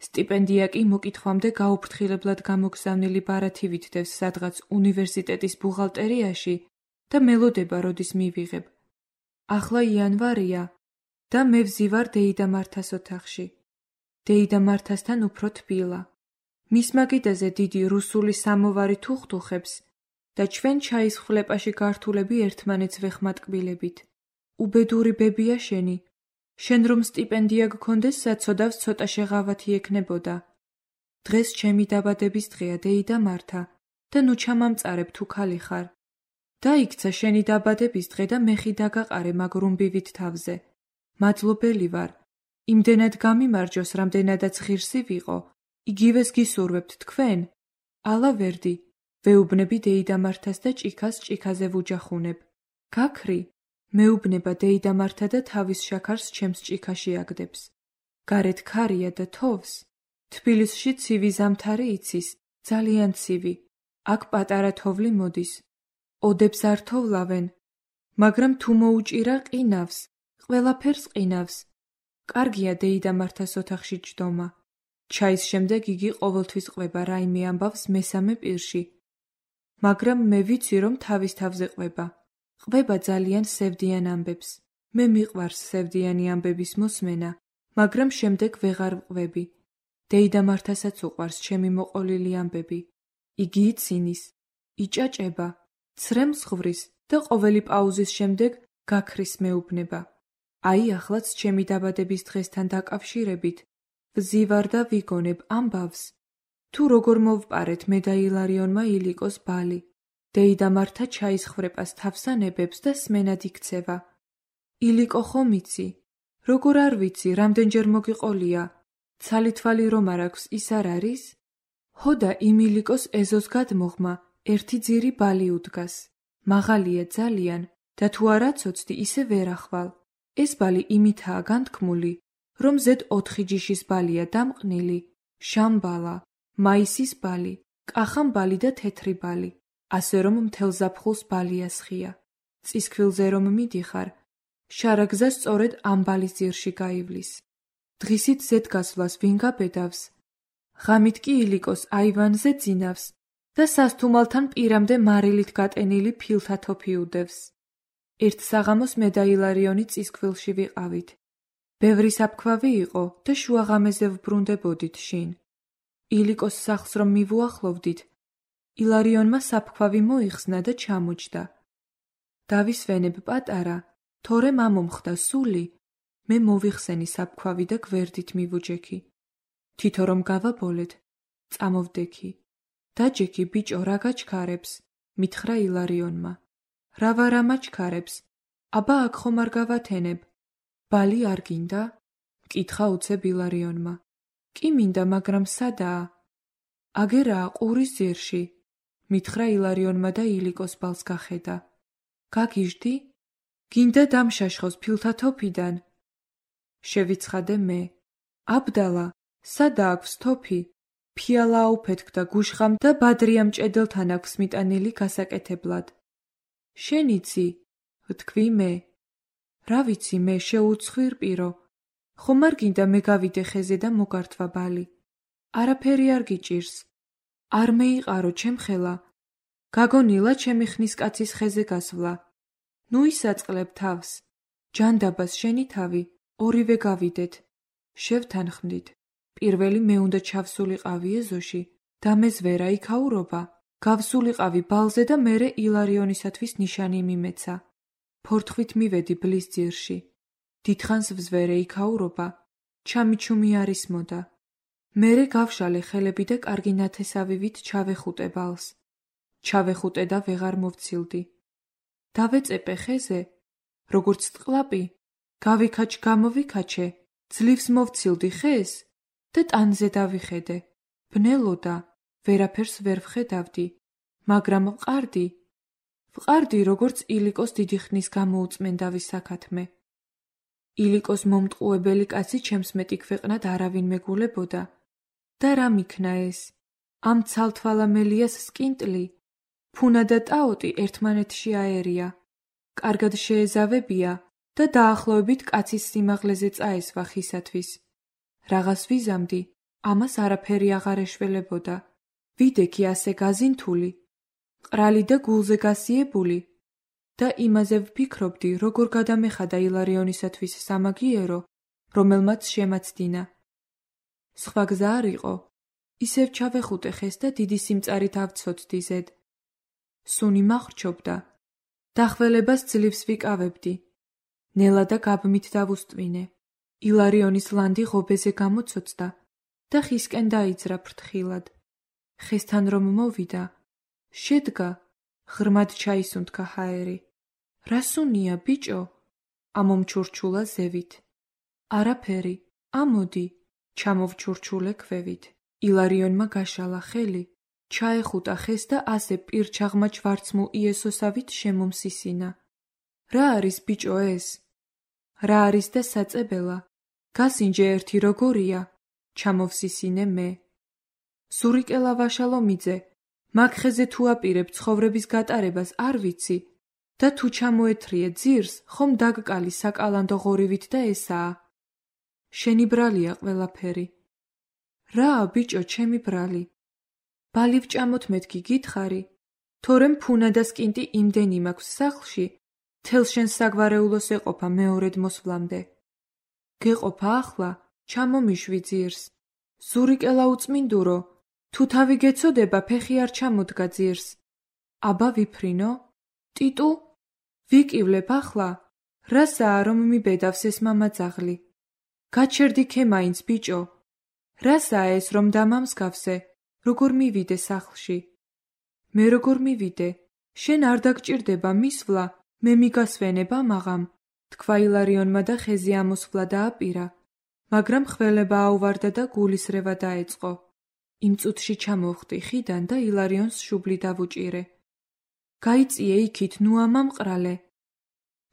Speaker 1: სტიპენდია კი მოკითხვამდე გაუფრთხილებლად გამოგზავნილი ბარათი ვითდევს სადღაც უნივერსიტეტის ბუღალტერიაში და მელოდება, როდის მივიღებ. ახლა იანვარია და მე ვზივარ დეიდა მართას ოთახში. დეიდა მართასთან უფრო თბილა. მის მაგიდაზე დიდი რუსული სამოვარი თუხთუხებს და ჩვენ ჩაის ხვლეპაში გართულები ერთმანეთს ვეხმატკბილებით. უბედური ბებია შენი. შენ რომ სტიპენდია გქონდეს, საცოდავს ცოტა შეღავათი ექნებოდა. დღეს ჩემი დაბადების დღეა, დეიდა მართა, და ნუ ჩამამწარებ თუ ქალი ხარ. დაიქცა შენი დაბადების დღე და მეხი დაგაყარე მაგ რუმბივით თავზე. მადლობელი ვარ. იმდენად გამიმარჯოს, რამდენადაც ღირსი ვიყო. იგივეს გისურვებთ თქვენ? ალა ვერდი. ვეუბნები დეიდა მართას და ჭიქას ჭიქაზე ვუჯახუნებ. გაქრი? მეუბნება დეიდა მართა და თავის შაქარს ჩემს ჭიქაში აგდებს. გარეთ ქარია და თოვს. თბილისში ცივი ზამთარი იცის, ძალიან ცივი. აქ პატარა თოვლი მოდის. ოდებს არ თოვლავენ, მაგრამ თუ მოუჭირა ყინავს, ყველაფერს ყინავს. კარგია დეიდა მართას ოთახში ჯდომა. ჩაის შემდეგ იგი ყოველთვის ყვება რაიმე ამბავს მესამე პირში. მაგრამ მე ვიცი, რომ თავის თავზე ყვება. ყვება ძალიან სევდიან ამბებს. მე მიყვარს სევდიანი ამბების მოსმენა, მაგრამ შემდეგ ვეღარ ვყვები. დეიდა მართასაც უყვარს ჩემი მოყოლილი ამბები. იგი იცინის, იჭაჭება, ცრემს ღვრის და ყოველი პაუზის შემდეგ გაქრის მეუბნება. აი ახლაც ჩემი დაბადების დღესთან დაკავშირებით ვზივარ და ვიგონებ ამბავს. თუ როგორ მოვპარეთ მე და ილარიონმა ილიკოს ბალი. დეიდა მართა ჩაის ხრეპას თავსანებებს და სმენად იქცევა. ილიკო ხომ იცი? როგორ არ ვიცი, რამდენჯერ მოგიყოლია? ცალი-თვალი რომ არ აქვს, ის არ არის? ჰო და იმ ილიკოს ეზოს გადმოღმა ერთი ძირი ბალი უდგას. მაღალია ძალიან და თუ არ აცოცდი, ისე ვერ ახვალ. ეს ბალი იმითაა განთქმული, რომ ზედ 4 ჯიშის ბალია დამყნილი, შამბალა, მაისის ბალი, კახამბალი და თეთრი ბალი. ასე რომ მთელ ზაფხულს ბალია სხია. წისქვილზე რომ მიდიხარ, შარაგზა სწორედ ამ ბალის ძირში გაივლის. დღისით ზედ გასვლას ვინ გაბედავს? ღამით კი ილიკოს აივანზე ძინავს და სასთუმალთან პირამდე მარილით გატენილი ფილთა თოფი უდევს. ერთ საღამოს მე და ილარიონი წისქვილში ვიყავით. ბევრი საფქვავი იყო და შუაღამეზე ვბრუნდებოდით შინ. ილიკოს სახლს რომ მივუახლოვდით, ილარიონმა საფქვავი მოიხსნა და ჩამოჯდა. დავისვენებ პატარა, თორემ ამომხდა სული, მე მოვიხსენი საფქვავი და გვერდით მივუჯექი. თითო რომ გავაბოლეთ, წამოვდექი. დაჯექი ბიჭო, რა გაჩქარებს? მითხრა ილარიონმა. რა ვარა მაჩქარებს? აბა აქ ხომ არ გავათენებ? ბალი არ გინდა? მკითხა უცებ ილარიონმა. კი მინდა, მაგრამ სადაა? აგერაა ყურის ძირში. მითხრა ილარიონმა და ილიკოს ბალს გახედა. გაგიჟდი? გინდა დამშაშხოს ფილთა თოფიდან? შევიცხადე მე. აბდალა, სადა აქვს თოფი? ფიალა აუფეთქდა გუშხამ და ბადრიამ ჭედელთან აქვს მიტანილი გასაკეთებლად. შენ იცი? ვთქვი მე. რა ვიცი მე, შეუცხვირპირო. ხომ არ გინდა მე გავიდე ხეზე და მოგართვა ბალი? არაფერი არ გიჭირს. არ მეიყარო ჩემხელა. გაგონილა ჩემი ხნის კაცის ხეზე გასვლა. ნუ ისაწყლებ თავს. ჯანდაბას შენი თავი, ორივე გავიდეთ. შევთანხმდით. პირველი მე უნდა ჩავსულიყავი ეზოში და მე ზვერა იქაურობა. გავსულიყავი ბალზე და მერე ილარიონისათვის ნიშანი მიმეცა. ფორთხვით მივედი ბლის ძირში. დიდხანს ვზვერე იქაურობა. ჩამიჩუმი არის მოდა. მერე გავშალე ხელები და კარგი ნათესავივით ჩავეხუტე ბალს. ჩავეხუტე და ვეღარ მოვცილდი. დავეწეპე ხეზე, როგორც ტყლაპი, გამოვიქაჩე, ძლივს მოვცილდი ხეს და ტანზე დავიხედე. ბნელოდა, ვერაფერს ვერ ვხედავდი, მაგრამ ვყარდი, როგორც ილიკოს დიდი ხნის გამოუწმენდავის საქათმე. ილიკოს მომტყუებელი კაცი ჩემს მეტი ქვეყნად არავინ მეგულებოდა. და რა მიქნა ეს? ამ ცალთვალა მელიას სკინტლი, ფუნა და ტაოტი ერთმანეთში აერია, კარგად შეეზავებია და დაახლოებით კაცის სიმაღლეზე წაესვა ხისათვის. რაღაც ვიზამდი, ამას არაფერი აღარ ეშველებოდა. ვიდექი ასე გაზინთული, ყრალი და გულზე გასიებული და იმაზე ვფიქრობდი, როგორ გადამეხადა ილარიონისათვის სამაგიერო, რომელმაც შემაცდინა. სხვა გზა არ იყო, ისევ ჩავეხუტე ხეს და დიდი სიმწარით ავცოცდი ზედ. სუნი მახრჩობდა, დახველებას ძლივს ვიკავებდი. ნელა და გაბმით დავუსტვინე. ილარიონის ლანდი ღობეზე გამოცოცდა და ხისკენ დაიძრა ფრთხილად. ხესთან რომ მოვიდა, შედგა, ღრმად ჩაისუნთქა ჰაერი. რა სუნია, ბიჭო? ამომჩურჩულა ზევით. არაფერი, ამოდი, ჩამოვჩურჩულე ქვევით. ილარიონმა გაშალა ხელი, ჩაეხუტა ხეს და ასე პირჩაღმა ჯვარცმულ იესოსავით შემომსისინა. რა არის, ბიჭო, ეს? რა არის და საწებელა? გასინჯე ერთი როგორია? ჩამოვსისინე მე. ზურიკელა ვაშალომიძე, მაგ ხეზე თუ აპირებ ცხოვრების გატარებას არ ვიცი და თუ ჩამოეთრიე ძირს, ხომ დაგკალი საკალანდო ღორივით და ესაა. შენი ბრალია ყველაფერი. რაა, ბიჭო, ჩემი ბრალი? ბალი ვჭამოთ მეთქი გითხარი, თორემ ფუნა და სკინტი იმდენი მაქვს სახლში, თელ შენ საგვარეულოს ეყოფა მეორედ მოსვლამდე. გეყოფა ახლა, ჩამომიშვი ძირს. ზურიკელა უწმინდურო, თუ თავი გეცოდება, ფეხი არ ჩამოდგა ძირს. აბა ვიფრინო? ტიტუ? ვიკივლებ ახლა? რასაა რომ მიბედავს ეს მამაძაღლი? გაჩერდი ქე მაინც, ბიჭო. რასაა ეს რომ დამამსგავსე, როგორ მივიდე სახლში? მე როგორ მივიდე? შენ არ დაგჭირდება მისვლა, მე მიგასვენებ ამაღამ, თქვა ილარიონმა და ხეზე ამოსვლა დააპირა, მაგრამ ხველება აუვარდა და გულისრევა დაეწყო. იმ წუთში ჩამოვხდი ხიდან და ილარიონს შუბლი დავუჭირე. გაიწიე იქით, ნუ ამამყრალე.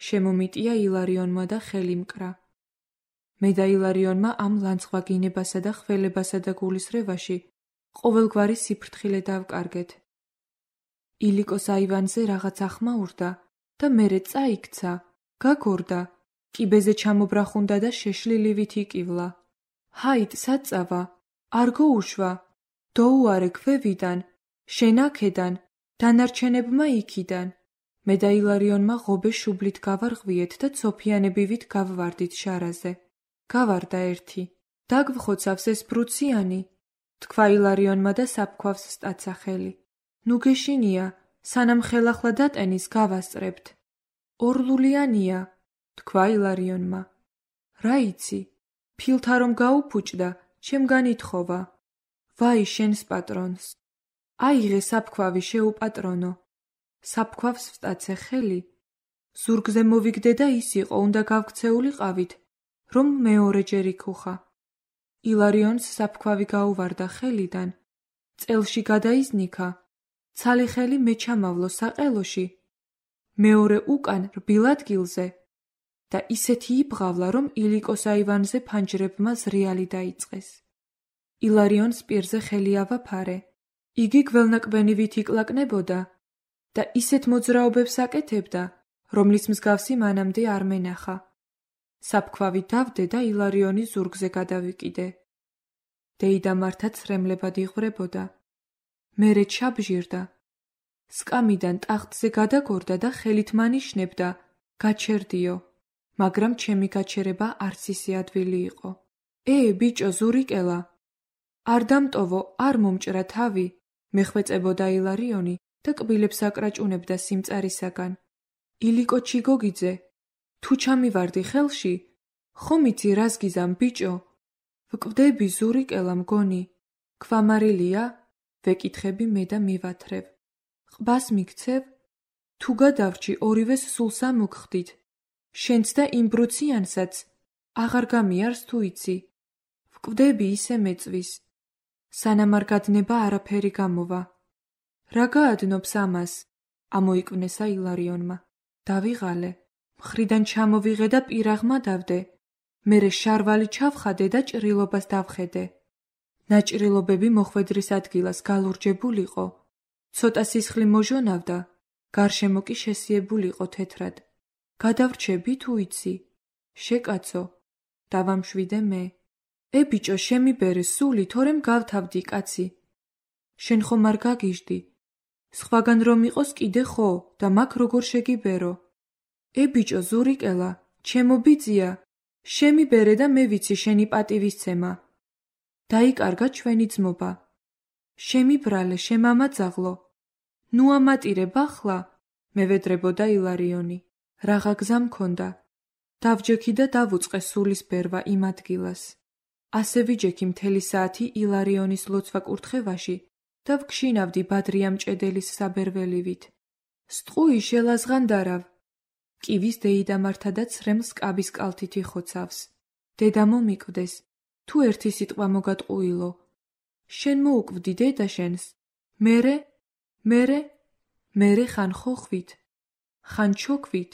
Speaker 1: შემომიტია ილარიონმა და ხელი მკრა. მე და ილარიონმა ამ ლანცხვაგინებასა და ხველებასა და გულისრევაში ყოველგვარი სიფრთხილე დავკარგეთ. ილიკოს აივანზე რაღაც ახმაურდა და მერე წაიქცა, გაგორდა, კიბეზე ჩამობრახუნდა და შეშლილივით იკივლა. ჰაით, საწავა, არ გოუშვა, დოუარე ქვევიდან, შენ აქედან, დანარჩენებმა იქიდან. მე და ილარიონმა ღობე შუბლით გავარღვიეთ და ცოფიანებივით გავვარდით შარაზე. გავარდა ერთი. დაგვხოცავს ეს ბრუციანი, თქვა ილარიონმა და საფქვავს სტაცა ხელი. ნუ გეშინია, სანამ ხელახლა დატენის გავასწრებთ. ორლულიანია, თქვა ილარიონმა. რა იცი, ფილთა რომ გაუფუჭდა, ჩემგან ითხოვა. ვაი შენს პატრონს. აიღე საფქვავი შეუპატრონო. საფქვავს ვსტაცე ხელი. ზურგზე მოვიგდე და ის იყო, უნდა გავქცეულიყავით, რომ მეორეჯერ იქუხა. ილარიონს საფქვავი გაუვარდა ხელიდან, წელში გადაიზნიქა, ცალი ხელი მე ჩამავლო საყელოში, მეორე უკან რბილ ადგილზე და ისეთი იბღავლა, რომ ილიკოს აივანზე ფანჯრებმა ზრიალი დაიწყეს. ილარიონს პირზე ხელი ავაფარე, იგი გველნაკბენივით იკლაკნებოდა და ისეთ მოძრაობებს აკეთებდა, რომლის მსგავსი მანამდე არ მენახა. საფქვავი დავდე და ილარიონი ზურგზე გადავიკიდე. დეიდა მართაც რემლებად იღვრებოდა. მერე ჩაბჟირდა. სკამიდან ტახტზე გადაგორდა და ხელით მანიშნებდა, გაჩერდიო, მაგრამ ჩემი გაჩერება არც ისე ადვილი იყო. ბიჭო, ზურიკელა, არ დამტოვო, არ მომჭრა თავი, მეხვეწებოდა ილარიონი და კბილებს აკრაჭუნებდა სიმწარისაგან. ილიკო ჩიგოგიძე, თუ ჩამივარდი ხელში, ხომ იცი რას გიზამ, ბიჭო? ვკვდები, ზურიკელა მგონი. ქვამარილია? ვეკითხები მე და მივათრევ. ყბას მიქცევ? თუ გადავრჩი, ორივეს სულ სამოგხდით. შენც და იმ ბრუციანსაც აღარ გამიარს თუ იცი. ვკვდები ისე მეწვის. სანამ არ გადნება არაფერი გამოვა. რა გაადნობს ამას? ამოიკვნესა ილარიონმა. დავიღალე. მხრიდან ჩამოვიღე და პირაღმა დავდე. მერე შარვალი ჩავხადე და ჭრილობას დავხედე. ნაჭრილობები მოხვედრის ადგილას გალურჯებულიყო, ცოტა სისხლი მოჟონავდა, გარშემო კი შესიებულიყო თეთრად. გადავრჩები თუ იცი? შეკაცო, დავამშვიდე მე. ბიჭო, შემიბერე სული, თორემ გავთავდი კაცი. შენ ხომ არ გაგიჟდი? სხვაგან რომ იყოს კიდე ხო და მაგ როგორ შეგიბერო? ბიჭო, ზურიკელა, ჩემო ბიძია, შემიბერე და მე ვიცი შენი პატივისცემა. დაიკარგა ჩვენი ძმობა. შემიბრალე, შემამაძაღლო. ნუ ამატირებ ახლა, მევედრებოდა ილარიონი. რაღა გზა მქონდა. დავჯექი და დავუწყე სულის ბერვა იმ ადგილას. ასე ვიჯექი მთელი საათი ილარიონის ლოცვა კურთხევაში და ვგშინავდი ბადრია მჭედელის საბერველივით. სტყუი შელაზღანდარავ. კივის დეიდამართა და ცრემლს კაბის კალთით იხოცავს. დედა მომიკვდეს, თუ ერთი სიტყვა მოგატყუილო. შენ მოუკვდი დედა შენს. მერე ხან ხოხვით, ხან ჩოქვით,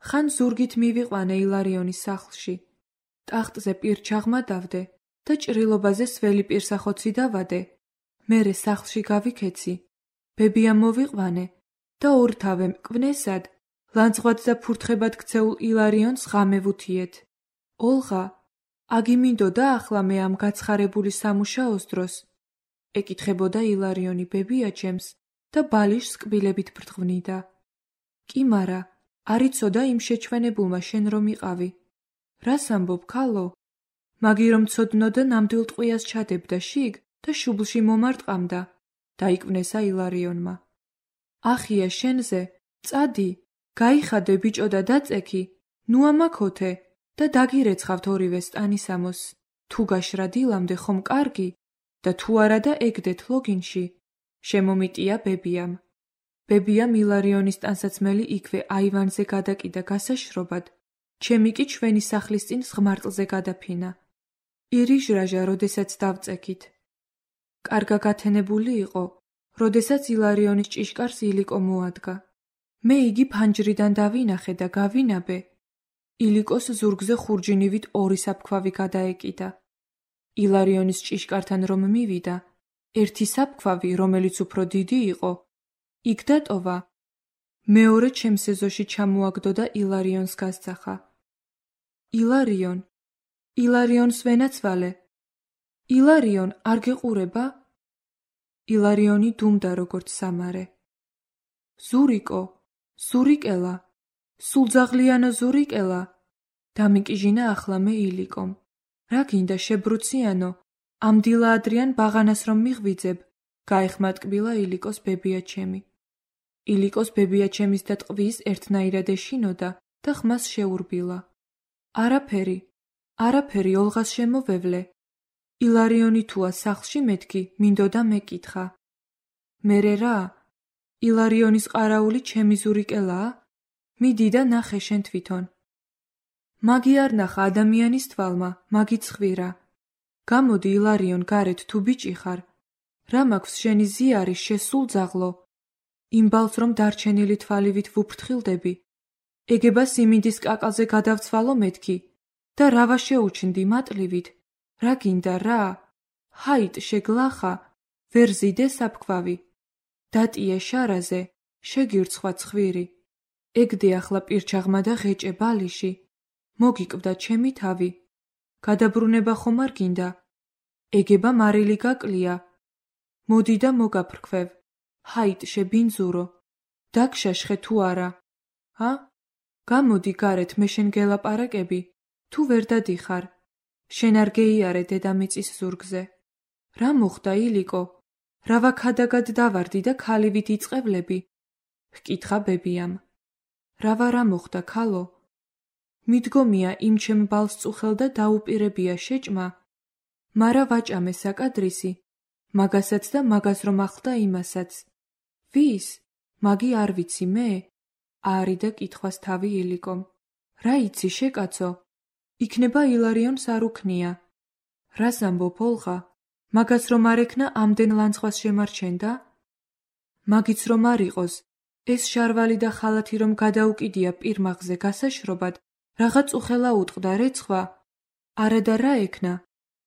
Speaker 1: ხან ზურგით მივიყვანე ილარიონის სახლში. ტახტზე პირჩაღმა დავდე და ჭრილობაზე სველი პირსახოცი დავადე. მერე სახლში გავიქეცი, ბებია მოვიყვანე და ორთავე მკვნესად, ლანძღვად და ფურთხებად ქცეულ ილარიონს ღამე ვუთიეთ. ოლღა, აგიმინდოდა ახლა მე ამ გაცხარებული სამუშაოს დროს? ეკითხებოდა ილარიონი ბებიაჩემს და ბალიშს კბილებით ბრტყვნიდა. კი მარა, არ იცოდა იმ შეჩვენებულმა შენ რომ იყავი. რას ამბობ, ქალო? მაგი რომ ცოდნოდა ნამდვილ ტყვიას ჩადებდა შიგ და შუბლში მომარტყამდა, დაიკვნესა ილარიონმა. ახია შენზე, წადი, გაიხადე ბიჭო და დაწექი, ნუ ამაქოთე და დაგირეცხავთ ორივე სტანისამოს. თუ გაშრა დილამდე ხომ კარგი და თუ არა და ეგდეთ ლოგინში. შემომიტია ბებიამ. ბებიამ ილარიონის ტანსაცმელი იქვე აივანზე გადაკიდა გასაშრობად, ჩემი კი ჩვენი სახლის წინ ღმარტლზე გადაფინა. ირიჟრაჟა, როდესაც დავწექით. კარგა გათენებული იყო, როდესაც ილარიონის ჭიშკარს ილიკო მოადგა. მე იგი ფანჯრიდან დავინახე და გავინაბე. ილიკოს ზურგზე ხურჯინივით ორი საფქვავი გადაეკიდა. ილარიონის ჭიშკართან რომ მივიდა, ერთი საფქვავი, რომელიც უფრო დიდი იყო, იქ დატოვა. მეორე ჩემს ეზოში ჩამოაგდო და ილარიონს გასძახა. ილარიონს ვენაცვალე. ილარიონ, არ გეყურება? ილარიონი დუმდა როგორც სამარე. ზურიკელა, სულძაღლიანო ზურიკელა, დამიკიჟინა ახლა მე ილიკომ. რა გინდა შებრუციანო, ამ დილა ადრიან ბაღანას რომ მიღვიძებ, გაეხმატკბილა ილიკოს ბებიაჩემი. ილიკოს ბებიაჩემის და ტყვის ერთნაირად ეშინოდა და ხმას შეურბილა. არაფერი, ოლღას შემოვევლე. ილარიონი თუა სახლში მეთქი, მინდოდა მეკითხა. მერე რა? ილარიონის ყარაული ჩემი ზურიკელაა? მიდი და ნახე შენ თვითონ. მაგი არ ნახა ადამიანის თვალმა, მაგი ცხვირა. გამოდი ილარიონ, გარეთ თუ ბიჭი ხარ. რა მაქვს შენი ზიარი შესულძაღლო? იმ ბალს რომ დარჩენილი თვალივით ვუფრთხილდები. ეგება სიმინდის კაკალზე გადავცვალო მეთქი და რავა შეუჩნდი მატლივით. რა გინდა რა? ჰაით შეგლახა, ვერ ზიდე საფქვავი. დატიე შარაზე, შეგირცხვა ცხვირი. ეგდე ახლა პირჩაღმა და ღეჭე ბალიში. მოგიკვდა ჩემი თავი. გადაბრუნება ხომ არ გინდა? ეგება მარილი გაკლია. მოდი და მოგაფრქვევ. ჰაით შებინძურო. დაგშაშხე თუ არა? გამოდი გარეთ, მე შენ გელაპარაკები, თუ ვერ დადიხარ. შენ არ გეიარე დედამიწის ზურგზე. რა მოხდა ილიკო? რავა ქადაგად დავარდი და ქალივით იწყებლები? ჰკითხა ბებიამ. რა მოხდა ქალო? მიდგომია იმ ჩემ ბალს წუხელ და დაუპირებია შეჭმა. მარა ვაჭამე საკადრისი, მაგასაც და მაგას რომ ახლდა იმასაც. ვის? მაგი არ ვიცი მე? აარიდა კითხვას თავი ილიკომ. რა იცი შეკაცო? იქნება ილარიონს არ უქნია. რას ამბობ ოლღა? მაგას რომ არ ექნა ამდენ ლანძღვას შემარჩენდა? მაგიც რომ არ იყოს, ეს შარვალი და ხალათი რომ გადაუკიდია პირმაღზე გასაშრობად, რაღაც უხელა უტყდა რეცხვა? არა და რა ექნა?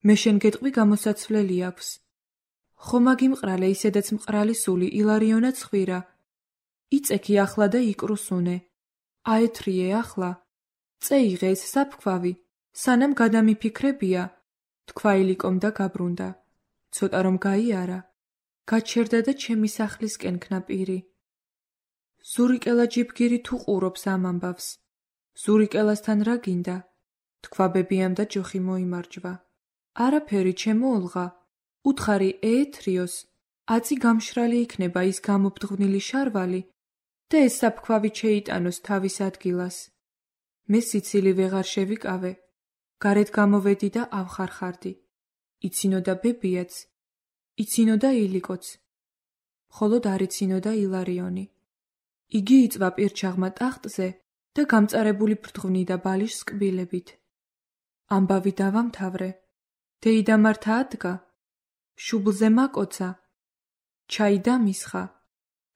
Speaker 1: მე შენ გეტყვი გამოსაცვლელი აქვს. ხო მაგიმყრალე ისედაც მყრალი სული ილარიონა ცხვირა. იწექი ახლა და იკრუსუნე. აეთრიე ახლა. წეიღე ეს საფქვავი, სანამ გადამიფიქრებია, თქვა ილიკომ და გაბრუნდა. ცოტა რომ გაიარა, გაჩერდა და ჩემი სახლისკენ ქნაპირი. ზურიკელა ჯიბგირი თუ ყურობს ამ ამბავს. ზურიკელასთან რა გინდა? თქვა ბებიამ და ჯოხი მოიმარჯვა. არაფერი ჩემო ოლღა, უთხარი ეეთრიოს, აწი გამშრალი იქნება ის გამობდღვნილი შარვალი და ეს საფქვავი შეიტანოს თავის ადგილას. მე სიცილი ვეღარ შევიკავე, გარეთ გამოვედი და ავხარხარდი. იცინოდა ბებიაც, იცინოდა ილიკოც, მხოლოდ არ იცინოდა ილარიონი. იგი იწვა პირჩაღმა ტახტზე და გამწარებული ბრდღვნიდა ბალიშს კბილებით. ამბავი დავამთავრე, დეიდამართა ადგა, შუბლზე მაკოცა, ჩაი დამისხა,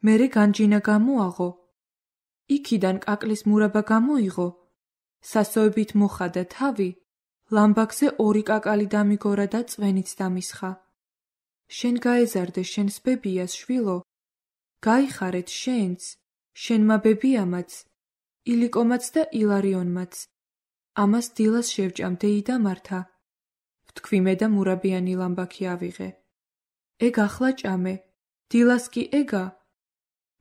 Speaker 1: მერე განჯინა გამოაღო, იქიდან კაკლის მურაბა გამოიღო, სასოებით მოხადა თავი, ლამბაქზე 2 კაკალი დამიგორა და წვენიც დამისხა. შენ გაეზარდე შენს ბებიას შვილო, გაიხარეთ შენც, შენმა ბებიამაც, ილიკომაც და ილარიონმაც. ამას დილას შევჭამ დეიდამართა. ვთქვი მე და მურაბიანი ლამბაქი ავიღე. ეგ ახლა ჭამე, დილას კი ეგა.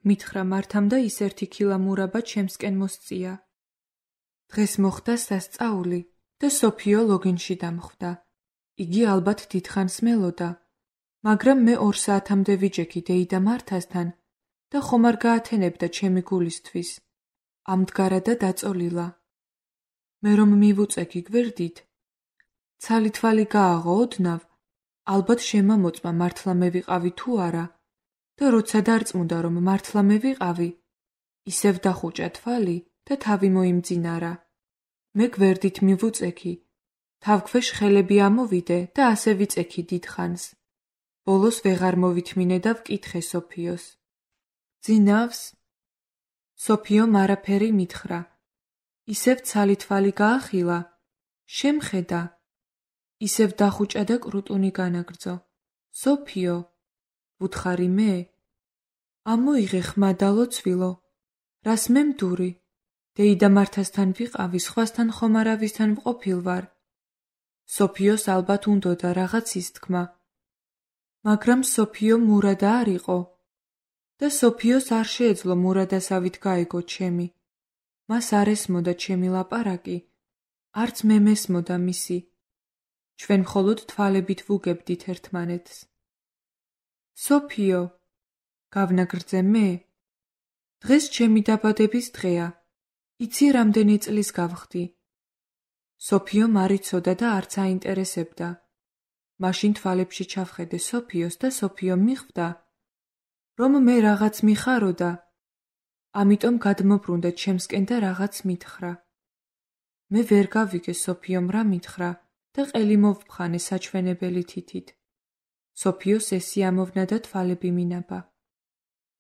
Speaker 1: მითხრა მართამ და ის 1 ქილა მურაბა ჩემსკენ მოსწია. დღეს მოხდა სასწაული და სოფიო ლოგინში დამხვდა. იგი ალბათ დიდხანს მელოდა, მაგრამ მე 2 საათამდე ვიჯექი დეიდამართასთან და ხომ არ გაათენებდა ჩემი გულისთვის. ამდგარა და დაწოლილა. მე რომ მივუწექი გვერდით, ცალი-თვალი გააღო ოდნავ, ალბათ შემამოწმა მართლა მე ვიყავი თუ არა და როცა დარწმუნდა რომ მართლა მე ვიყავი, ისევ დახუჭა თვალი და თავი მოიმძინარა. მე გვერდით მივუწექი, თავქვეშ ხელები ამოვიდე და ასე ვიწექი დიდხანს. ბოლოს ვეღარ მოვითმინე და ვკითხე სოფიოს. ძინავს? სოფიომ არაფერი მითხრა. ისევ ცალი-თვალი გაახილა, შემხედა. ისევ დახუჭა და კრუტუნი განაგრძო. სოფიო, ვუთხარი მე? ამოიღე ხმა და ლოცვილო, რას მე მდური? დეიდამართასთან ვიყავი, სხვასთან ხომ არავისთან ვყოფილ ვარ. სოფიოს ალბათ უნდოდა რაღაც ისთქმა, მაგრამ სოფიო მურადა არ იყო და სოფიოს არ შეეძლო მურადასავით გაეგო ჩემი. მას არ ესმოდა ჩემი ლაპარაკი, არც მე მესმოდა მისი. ჩვენ მხოლოდ თვალებით ვუგებდით ერთმანეთს. სოფიო, გავნაგრძე მე? დღეს ჩემი დაბადების დღეა. იცი რამდენი წლის გავხდი? სოფიომ არ იცოდა და არც აინტერესებდა. მაშინ თვალებში ჩავხედე სოფიოს და სოფიო მიხვდა, რომ მე რაღაც მიხაროდა, ამიტომ გადმობრუნდა ჩემსკენ და რაღაც მითხრა. მე ვერ გავიგე სოფიომ რა მითხრა და ყელი მოვფხანე საჩვენებელი თითით. სოფიოს ესი ამოვნა და თვალები მინაბა.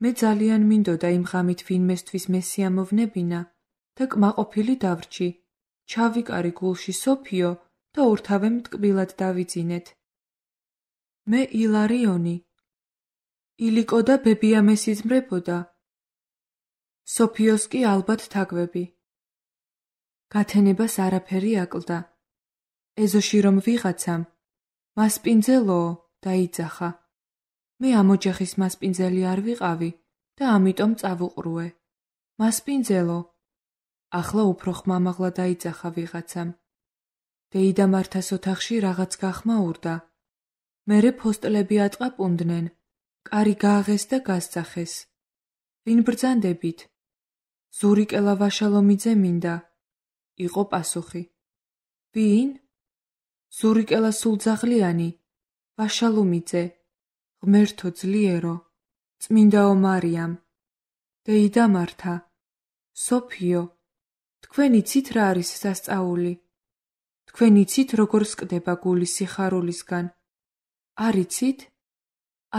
Speaker 1: მე ძალიან მინდოდა იმ ღამით ვინმესთვის მესიამოვნებინა და კმაყოფილი დავრჩი, ჩავიკარი გულში სოფიო და ორთავემ ტკბილად დავიძინეთ. მე ილარიონი. ილიკო და ბებია მესიზმრებოდა. სოფიოს კი ალბათ თაგვები. გათენებას არაფერი აკლდა. ეზოში რომ ვიღაცამ, მასპინძელოო, დაიძახა. მე ამ ოჯახის მასპინძელი არ ვიყავი და ამიტომ წავუყრუე. მასპინძელო. ახლა უფრო ხმამაღლა დაიძახა ვიღაცამ. დეიდამართას ოთახში რაღაც გახმაურდა. მერე ფოსტლები ატყაპუნდნენ, კარი გააღეს და გასძახეს. ვინ ბრძანდებით? ზურიკელა ვაშალომიძე მინდა. იყო პასუხი. ვინ? ზურიკელა სულძაღლიანი, ვაშალომიძე, ღმერთო ძლიერო, წმინდაო მარიამ, დეიდამართა, სოფიო, თქვენ იცით რა არის სასწაული? თქვენ იცით როგორ სკდება გული სიხარულისგან? არ იცით?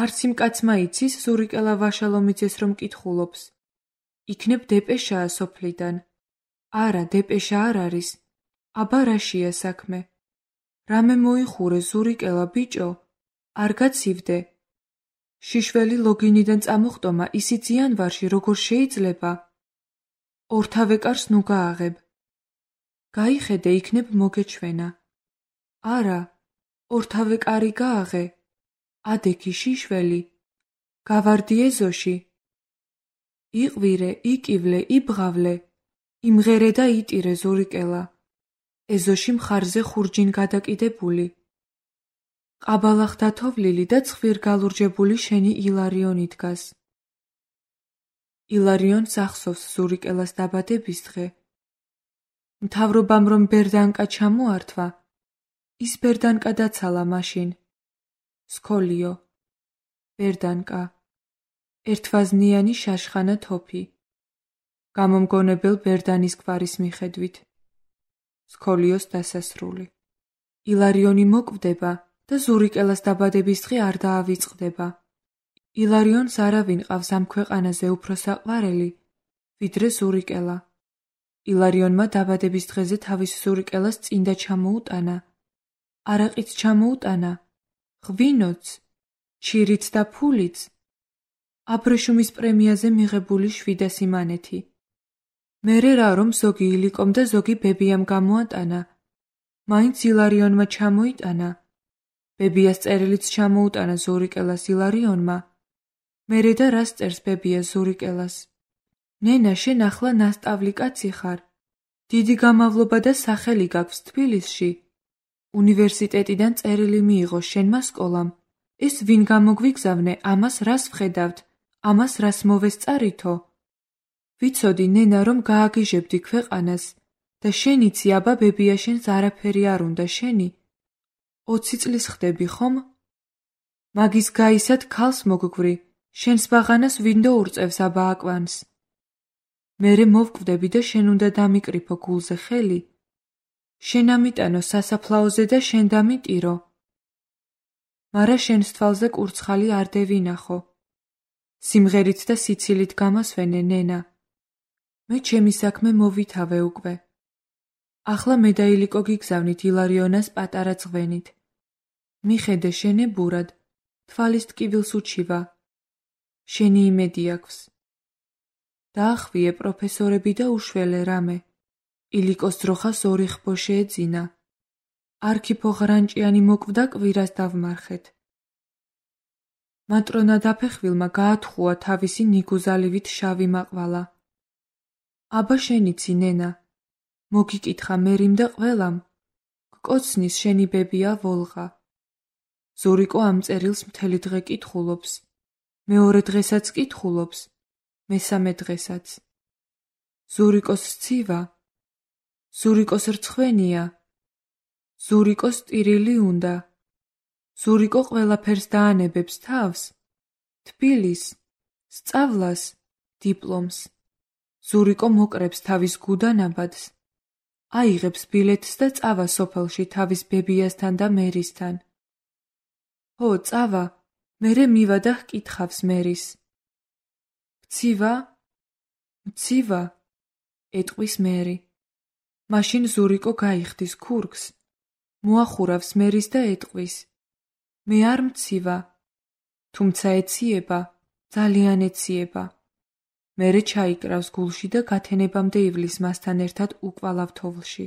Speaker 1: არც იმ კაცმა იცის ზურიკელა ვაშალომიძეს რომ კითხულობს. იქნებ დეპეშაა სოფლიდან. არა, დეპეშა არ არის. აბა რაშია საქმე? რამე მოიხურე ზურიკელა ბიჭო, არ გაცივდე. შიშველი ლოგინიდან წამოხტომა ისიც იანვარში როგორ შეიძლება? ორთავე კარს ნუ გააღებ. გაიხედე იქნებ მოგეჩვენა. არა, ორთავე კარი გააღე. ადექი შიშველი. გავარდი ეზოში. იყვირე, იკივლე, იბღავლე. იმღერე და იტირე ზურიკელა. ეზოში მხარზე ხურჯინ გადაკიდებული. ყაბალახთა თოვლილი და ცხვირგალურჯებული შენი ილარიონი დგას. ილარიონს ახსოვს ზურიკელას დაბადების დღე. მთავრობამ რომ ბერდანკა ჩამოართვა, ის ბერდანკა დაცალა მაშინ. სქოლიო. ბერდანკა. ერთვაზნიანი შაშხანა თოფი. გამომგონებელ ბერდანის გვარის მიხედვით. სქოლიოს დასასრული. ილარიონი მოკვდება და ზურიკელას დაბადების დღე არ დაავიწყდება. ილარიონს არავინ ყავს ამ ქვეყანაზე უფრო საყვარელი, ვიდრე ზურიკელა. ილარიონმა დაბადების დღეზე თავის ზურიკელას წინდა ჩამოუტანა. არაყიც ჩამოუტანა, ღვინოც, ჩირიც და ფულიც. აბრეშუმის პრემიაზე მიღებული 700 მანეთი. მერე რა რომ ზოგი ილიკომ და ზოგი ბებიამ გამოატანა. მაინც ილარიონმა ჩამოიტანა. ბებიას წერილიც ჩამოუტანა ზურიკელას ილარიონმა. მერე და რას წერს ბებია ზურიკელას? ნენა, შენ ახლა ნასწავლი კაცი ხარ. დიდი გამავლობა და სახელი გაქვს თბილისში. უნივერსიტეტიდან წერილი მიიღო შენმა სკოლამ. ეს ვინ გამოგვიგზავნე, ამას რას ვხედავთ, ამას რას მოვესწარითო? ვიცოდი ნენა რომ გააგიჟებდი ქვეყანას და შენიცი აბა ბებია შენს არაფერი არ უნდა შენი. 20 წლის ხდები ხომ? მაგის გაისად ქალს მოგგვრი, შენს ბაღანას ვინდო ურწევს აბა აკვანს. მერე მოვკვდები და შენ უნდა დამიკრიფო გულზე ხელი. შენ ამიტანო სასაფლაოზე და შენ დამიტირო. მარა შენს თვალზე კურცხალი არ დევინახო. სიმღერით და სიცილით გამასვენე ნენა. მე ჩემი საქმე მოვითავე უკვე. ახლა მე და ილიკო გიგზავნით ილარიონას პატარა ძღვენით. მიხედე შენებურად, თვალის ტკივილს უჩივა. შენი იმედი აქვს. დაახვიე პროფესორები და უშველე რამე. ილიკოს ძროხას 2 ხბო შეეძინა. არქიფო ღრანჭიანი მოკვდა კვირას დავმარხეთ. მატრონა დაფეხვილმა გაათხოვა თავისი ნიგუზალივით შავი მაყვალა. აბა შენიცი ნენა. მოგიკითხა მერიმ და ყველამ. გკოცნის შენი ბებია ვოლღა. ზურიკო ამ წერილს მთელი დღე კითხულობს. მეორე დღესაც კითხულობს. მესამე დღესაც. ზურიკოს სცივა. ზურიკოს რცხვენია. ზურიკოს ტირილი უნდა. ზურიკო ყველაფერს დაანებებს თავს. თბილის, სწავლას, დიპლომს. ზურიკო მოკრებს თავის გუდანაბადს. აიღებს ბილეთს და წავა სოფელში თავის ბებიასთან და მერისთან. ჰო, წავა, მერე მივა და ჰკითხავს მერის. მცივა? მცივა? ეტყვის მერი. მაშინ ზურიკო გაიხდის ქურგს. მოახურავს მერის და ეტყვის. მე არ მცივა. თუმცა ეციება, ძალიან ეციება. მერე ჩაიკრავს გულში და გათენებამდე ივლის მასთან ერთად უკვალავ თოვლში.